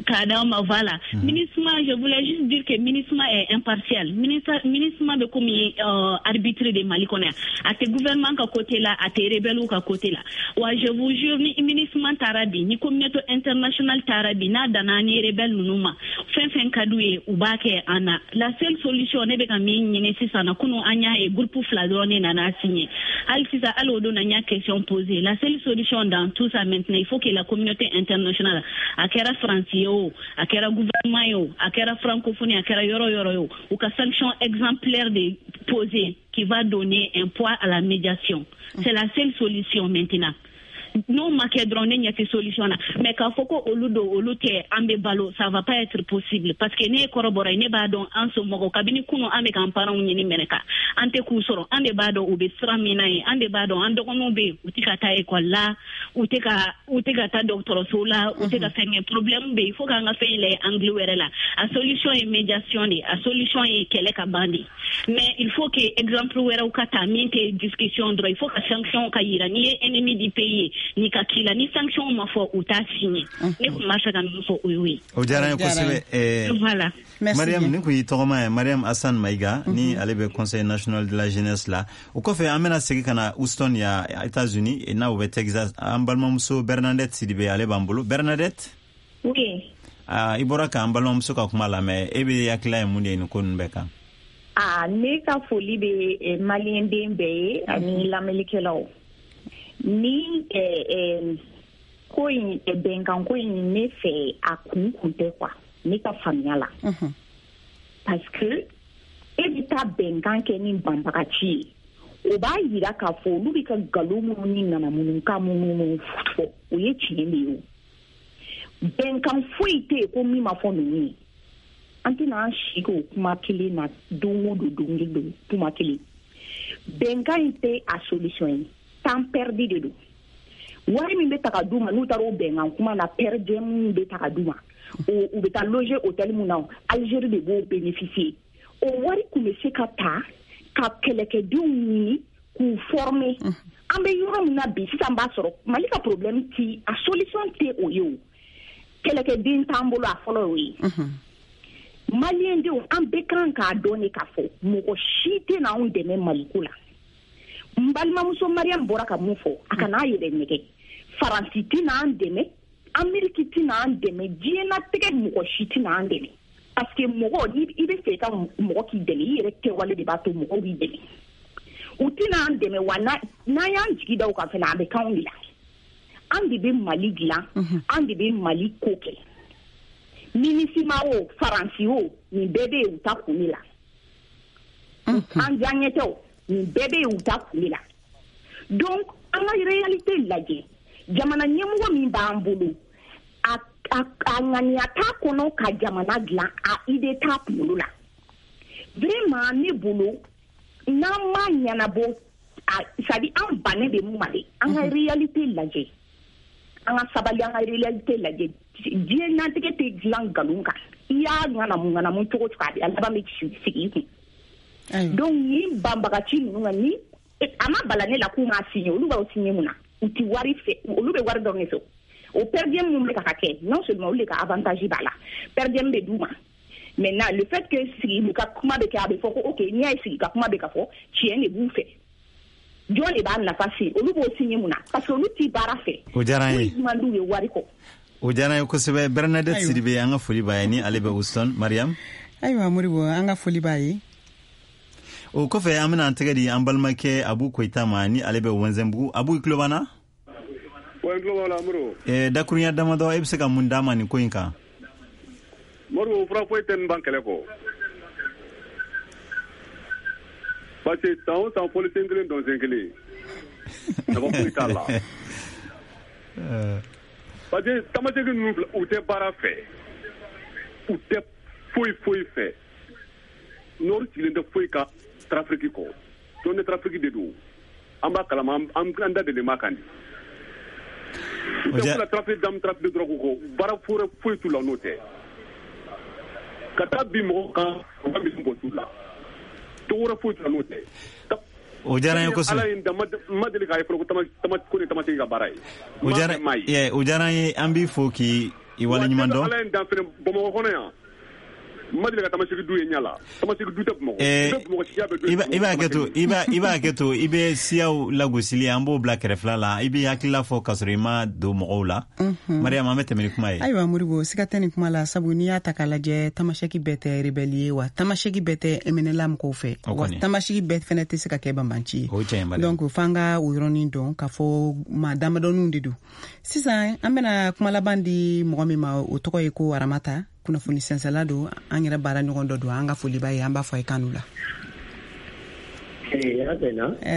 K'a d'an ma, voilà. Mm -hmm. MINUSMA, je voulais juste dire que MINUSMA est impartial. MINUSMA bɛ komi euh, arbitre de Mali kɔnɔ yan. A tɛ gouvernement ka côté la, a tɛ rebelle ka côté la. Wa je vous jure, ni MINUSMA taara bi, ni communauté internationale taara bi, n'a danna ni rebelle ninnu ma, fɛn fɛn ka d'u ye, u b'a kɛ an na. La seule solution, ne bɛ ka min ɲini sisan na, kunun an y'a ye groupe fila dɔrɔn de nana signer. Hali sisan, hali o don na n y'a question posée. La seule solution dans tout ça maintenant, il faut que la communauté internationale, a kɛra Faransi ye o, a kɛra gouvernement ye o, a kɛra francophonie, a kɛra yɔrɔ yɔrɔ ye o, u ka sanction exemplaire de poser qui va donner un poids à la médiation. C'est la seule solution maintenant. N'o ma kɛ dɔrɔn, ne ɲɛ tɛ solution na. Mais k'a fɔ ko olu don, olu tɛ, an bɛ balo, ça va pas être possible. Parce que ne ye kɔrɔbɔrɔ ye, ne b'a dɔn an somɔgɔw kabini kunun an bɛ k'an parents ɲini mɛnɛka, an tɛ k'u sɔrɔ. An de b'a dɔn u bɛ sira min na yen, an de b'a dɔn an dɔgɔninw bɛ yen, u tɛ ka taa école la, u tɛ ka u tɛ ka taa dɔgɔtɔrɔso la, u tɛ ka fɛn kɛ. Problème bɛ yen, il faut k'an ka fɛn in lajɛ angle wɛrɛ la. A solution ye médiation de ye, a solution ye kɛlɛ ka ban de. Mais il faut que exemple wɛrɛw ka ta min tɛ discussion dɔrɔn, il faut ka sanction ka yira n'i ye ennemi du pays ye, ni ka k'i la, ni sanction ma fɔ, u t'a signé. Ne tun b'a fɛ ka min fɔ o y'o ye. O diyara n ye kosɛbɛ. Voilà. Mariam, nin kun y'i tɔgɔma ye, Mariam Hassan Mayiga, ni ale bɛ Conseil national de la jeunesse la. O kɔfɛ, an bɛna segin ka na Houston ya États-Unis, n'a o bɛ Texas. An balimamuso Bernadette Sidibe, ale b'an bolo. Bernadette? Oui. Ah, i bɔra k'an balimamuso ka kuma lamɛn, e bɛ hakilila ye mun de ye nin ko ninnu bɛɛ kan? Ah, ne ka foli bɛ maliyɛn den bɛɛ ye ani lamɛnnikɛlaw. Ni eh, eh, ko in, bɛnkan ko in, ne fɛ a kun kun tɛ quoi, ne ka faamuya la. Parce que e bɛ taa bɛnkan kɛ ni banbagaci ye, o b'a yira k'a fɔ olu bɛ ka nkalon minnu ni nanamununkan minnu fɔ, o ye tiɲɛ de ye. O bɛnkan foyi tɛ yen ko min ma fɔ ninnu ye. An tɛna an si k'o kuma kelen na don o don, don o don kuma kelen. Bɛnkan in tɛ a solution ye, temps perdu de don. Wari min bɛ ta ka d'u ma n'u taara o bɛnkan kuma na, per diem min bɛ ta ka d'u ma, o u bɛ taa loger hôtel mun na, Algérie de b'o bénéficier. O wari kun bɛ se ka ta ka kɛlɛkɛdenw ɲini k'u former. An bɛ yɔrɔ min na bi sisan b'a sɔrɔ Mali ka problème ti a solution tɛ o ye o. Kɛlɛkɛden t'an bolo a fɔlɔ y'o ye. Maliyɛn denw an bɛɛ kan k'a dɔn de k'a fɔ mɔgɔ si tɛ n'anw dɛmɛ Maliko la. N balimamuso Mariam bɔra ka mun fɔ a kana n'a yɛrɛ nɛgɛ. Faransi tɛ n'an dɛmɛ, Amérique tɛ n'an dɛmɛ, diɲɛlatigɛ mɔgɔ si tɛ n'an dɛmɛ. Parce que mɔgɔ ni i bɛ fɛ i ka mɔgɔ k'i dɛmɛ i yɛrɛ kɛwale de b'a to mɔgɔw b'i dɛmɛ. U tɛ n'an dɛmɛ wa n'an y'an jigi da u kan fana a bɛ k'anw de la. An de bɛ Mali dilan, an de bɛ Mali ko kɛ. MINUSMA o Faransi o nin bɛɛ bɛ yen u ta kun de la. An diyaɲɛ tɛ o nin bɛɛ bɛ yen u ta kun de la. Donc an ka réalité lajɛ. Jamana ɲɛmɔgɔ min b'an bolo a a a ŋaniya t'a kɔnɔ ka jamana dilan a idée t'a kunkolo la. Vraiment ne bolo n'an ma ɲɛnabɔ a c'est à dire an bannen bɛ mun ma dɛ an ka réalité lajɛ. An ka sabali an ka réalité lajɛ. Diɲɛlatigɛ tɛ dilan nkalon kan. I y'a ŋanamu ŋanamu cogo cogo a bɛ a laban bɛ sigi i kun. Donc nin banbagaci ninnu ka ni a ma bala ne la k'u m'a signé olu b'aw signé mun na? U ti wari fɛ olu bɛ wari dɔrɔn de fɛ. O per diem mun bɛ ka kɛ non seulement olu de ka avantage b'a la per diem bɛ d'u ma. Maintenant le fait que sigi ka kuma bɛ kɛ a bɛ fɔ ko ok n'i y'a ye sigi ka kuma bɛ ka fɔ tiɲɛ de b'u fɛ. Jɔn de b'a nafa se olu b'o signé mun na? Parce que olu ti baara fɛ. O diyara n ye. Foyi man d'u ye wari kɔ. O diyara n ye kosɛbɛ. Bernadette Sidibe an ka foli b'a ye ni ale bɛ Houston. Mariam. Ayiwa Moribo an ka foli b'a ye. O kɔfɛ an bɛna an tɛgɛ di an balimakɛ Abu Koyita ma ni ale bɛ Wɛnzɛnbugu. Abu i tulo b'an na? Wa n tulo b'aw la Moribo. Eh, dakurunya damadɔ e bɛ se ka mun d'a ma nin ko in kan? Moribo fura foyi tɛ nin ban kɛlɛ kɔ. Parce que san o san fɔlisen kelen dɔnsen kelen. Nafa foyi t'a la. Parce que tamaseki ninnu filɛ u tɛ baara fɛ. U tɛ foyi foyi fɛ. Nord sigilen tɛ foyi kan trafic kɔ. Zone de trafic de don. An b'a kalama an an da delen b'a kan de. U tɛ foyi la trafic d'armes trafic de drogue kɔ. Baara foyi foyi t'u la n'o tɛ. Ka taa bin mɔgɔw kan u ka misi bɔ t'u la. Togo wɛrɛ foyi t'u la n'o tɛ. O diyara n ye kosɛbɛ. Ala ye n dan ma deli k'a ye fɔlɔ ko tama ko nin tamaseki ka baara ye. O diyara o diyara n ye an b'i fo k'i waleɲuman dɔn. Ala ye n dan fɛnɛ Bamakɔ kɔnɔ yan. Ma deli ka tamaseki du ye ɲɛ la. Tamaseki du tɛ Bamakɔ. Bamakɔ siya bɛ du. I b'a kɛ to i b'a i b'a kɛ to i bɛ siyaw lagosili an b'o bila kɛrɛfɛla la i b'i hakilila fɔ k'a sɔrɔ i ma don mɔgɔw la. Mariam an bɛ tɛmɛ ni kuma ye. Ayiwa Moribo siga tɛ nin kuma la sabu n'i y'a ta k'a lajɛ tamaseki bɛɛ tɛ rebelle ye wa tamaseki bɛɛ tɛ M N L A mɔgɔw fɛ wa tamaseki bɛɛ fɛnɛ tɛ se ka kɛ banbanci ye. O tiɲɛ ye. Donc f'an ka o yɔrɔnin dɔn k'a fɔ maa damadɔninw de don. Sisan an bɛna kuma laban di mɔgɔ min ma o tɔgɔ ye ko Aramata. Kunnafoni sɛnsɛla don an yɛrɛ baara ɲɔgɔn dɔ don an ka foli b'a ye an b'a fɔ a ye kanu la.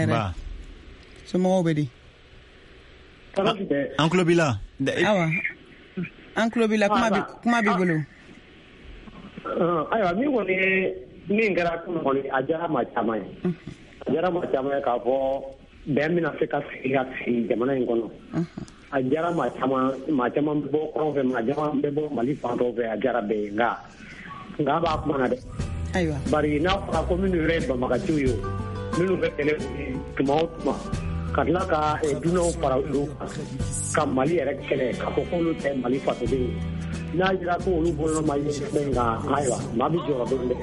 Ba. Somɔgɔw bɛ di? An tulo b'i la. Awa an tulo b'i la kuma b'i kuma b'i bolo. Ayiwa min kɔni ye min kɛra kɔni a diyara maa caman ye. A diyara maa caman ye k'a fɔ bɛn bɛna se ka sigi ka sigi jamana in kɔnɔ. A diyara maa caman maa caman bɛ bɔ kɔrɔn fɛ maa caman bɛ bɔ Mali fan dɔw fɛ a diyara bɛɛ ye nka nka a b'a kuma na dɛ. Ayiwa. Bari n'a fɔra ko minnu yɛrɛ ye banbagaciw ye o minnu bɛ kɛlɛ wuli tuma o tuma ka tila ka dunanw fara olu kan ka Mali yɛrɛ kɛlɛ k'a fɔ k'olu tɛ Mali fasodenw ye n'a jira ko olu bolonɔ ma ye fɛn kan ayiwa maa bɛ jɔrɔ dɔɔnin dɛ.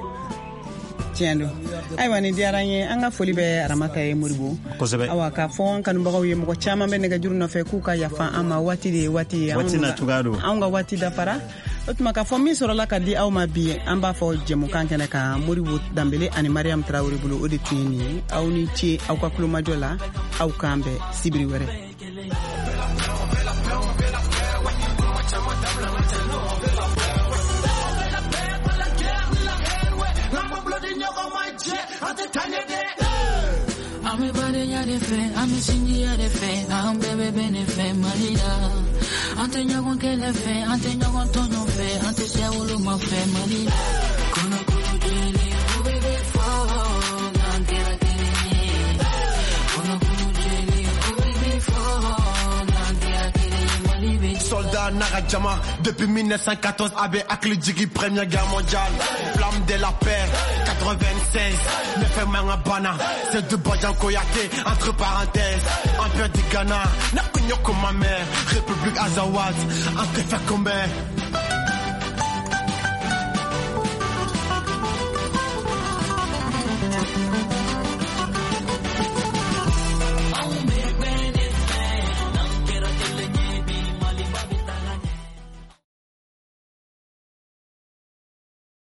Tiɲɛ don. Ayiwa nin diyara n ye an ka foli bɛ Aramata ye Moribo. Kosɛbɛ. Awa k'a fɔ an kanubagaw ye mɔgɔ caman bɛ nɛgɛjuru nɔfɛ k'u ka yafa an ma waati de ye waati ye. Waati na cogoya don. Anw ka waati dafara. O tuma k'a fɔ min sɔrɔla ka di aw ma bi an b'a fɔ jɛmukan kɛnɛ kan Moribo Danbele ani Mariam Traoré bolo o de tun ye nin ye. Aw ni ce aw ka kulomajɔ la aw k'an bɛn sibiri wɛrɛ. I'm a badenya de fɛ an bɛ sinjiya de fɛ an bɛɛ bɛ bɛn de fɛ Mali la an tɛ ɲɔgɔn kɛlɛ fɛ an tɛ ɲɔgɔn tɔɲɔ fɛ an tɛ siya woloma fɛ Mali la kɔnɔkulu jɛlen o bɛɛ bɛ fɔ n'an kɛra kelen ye kɔnɔkulu jɛlen o bɛɛ bɛ fɔ n'an kɛra kelen ye Mali bɛ. Soldat Mandela n'a ka jama depuis mille neuf cent quatorze a bɛ hakili jigi Première Guerre mondiale. Flamme de la paix quatre-vingt-seize ne fɛn man ka banna. Seydou Badian Koyate entre parenthèses. Empire du Ghana na kun ye kuma mɛn. République Azawad an tɛ fɛ kunbɛn.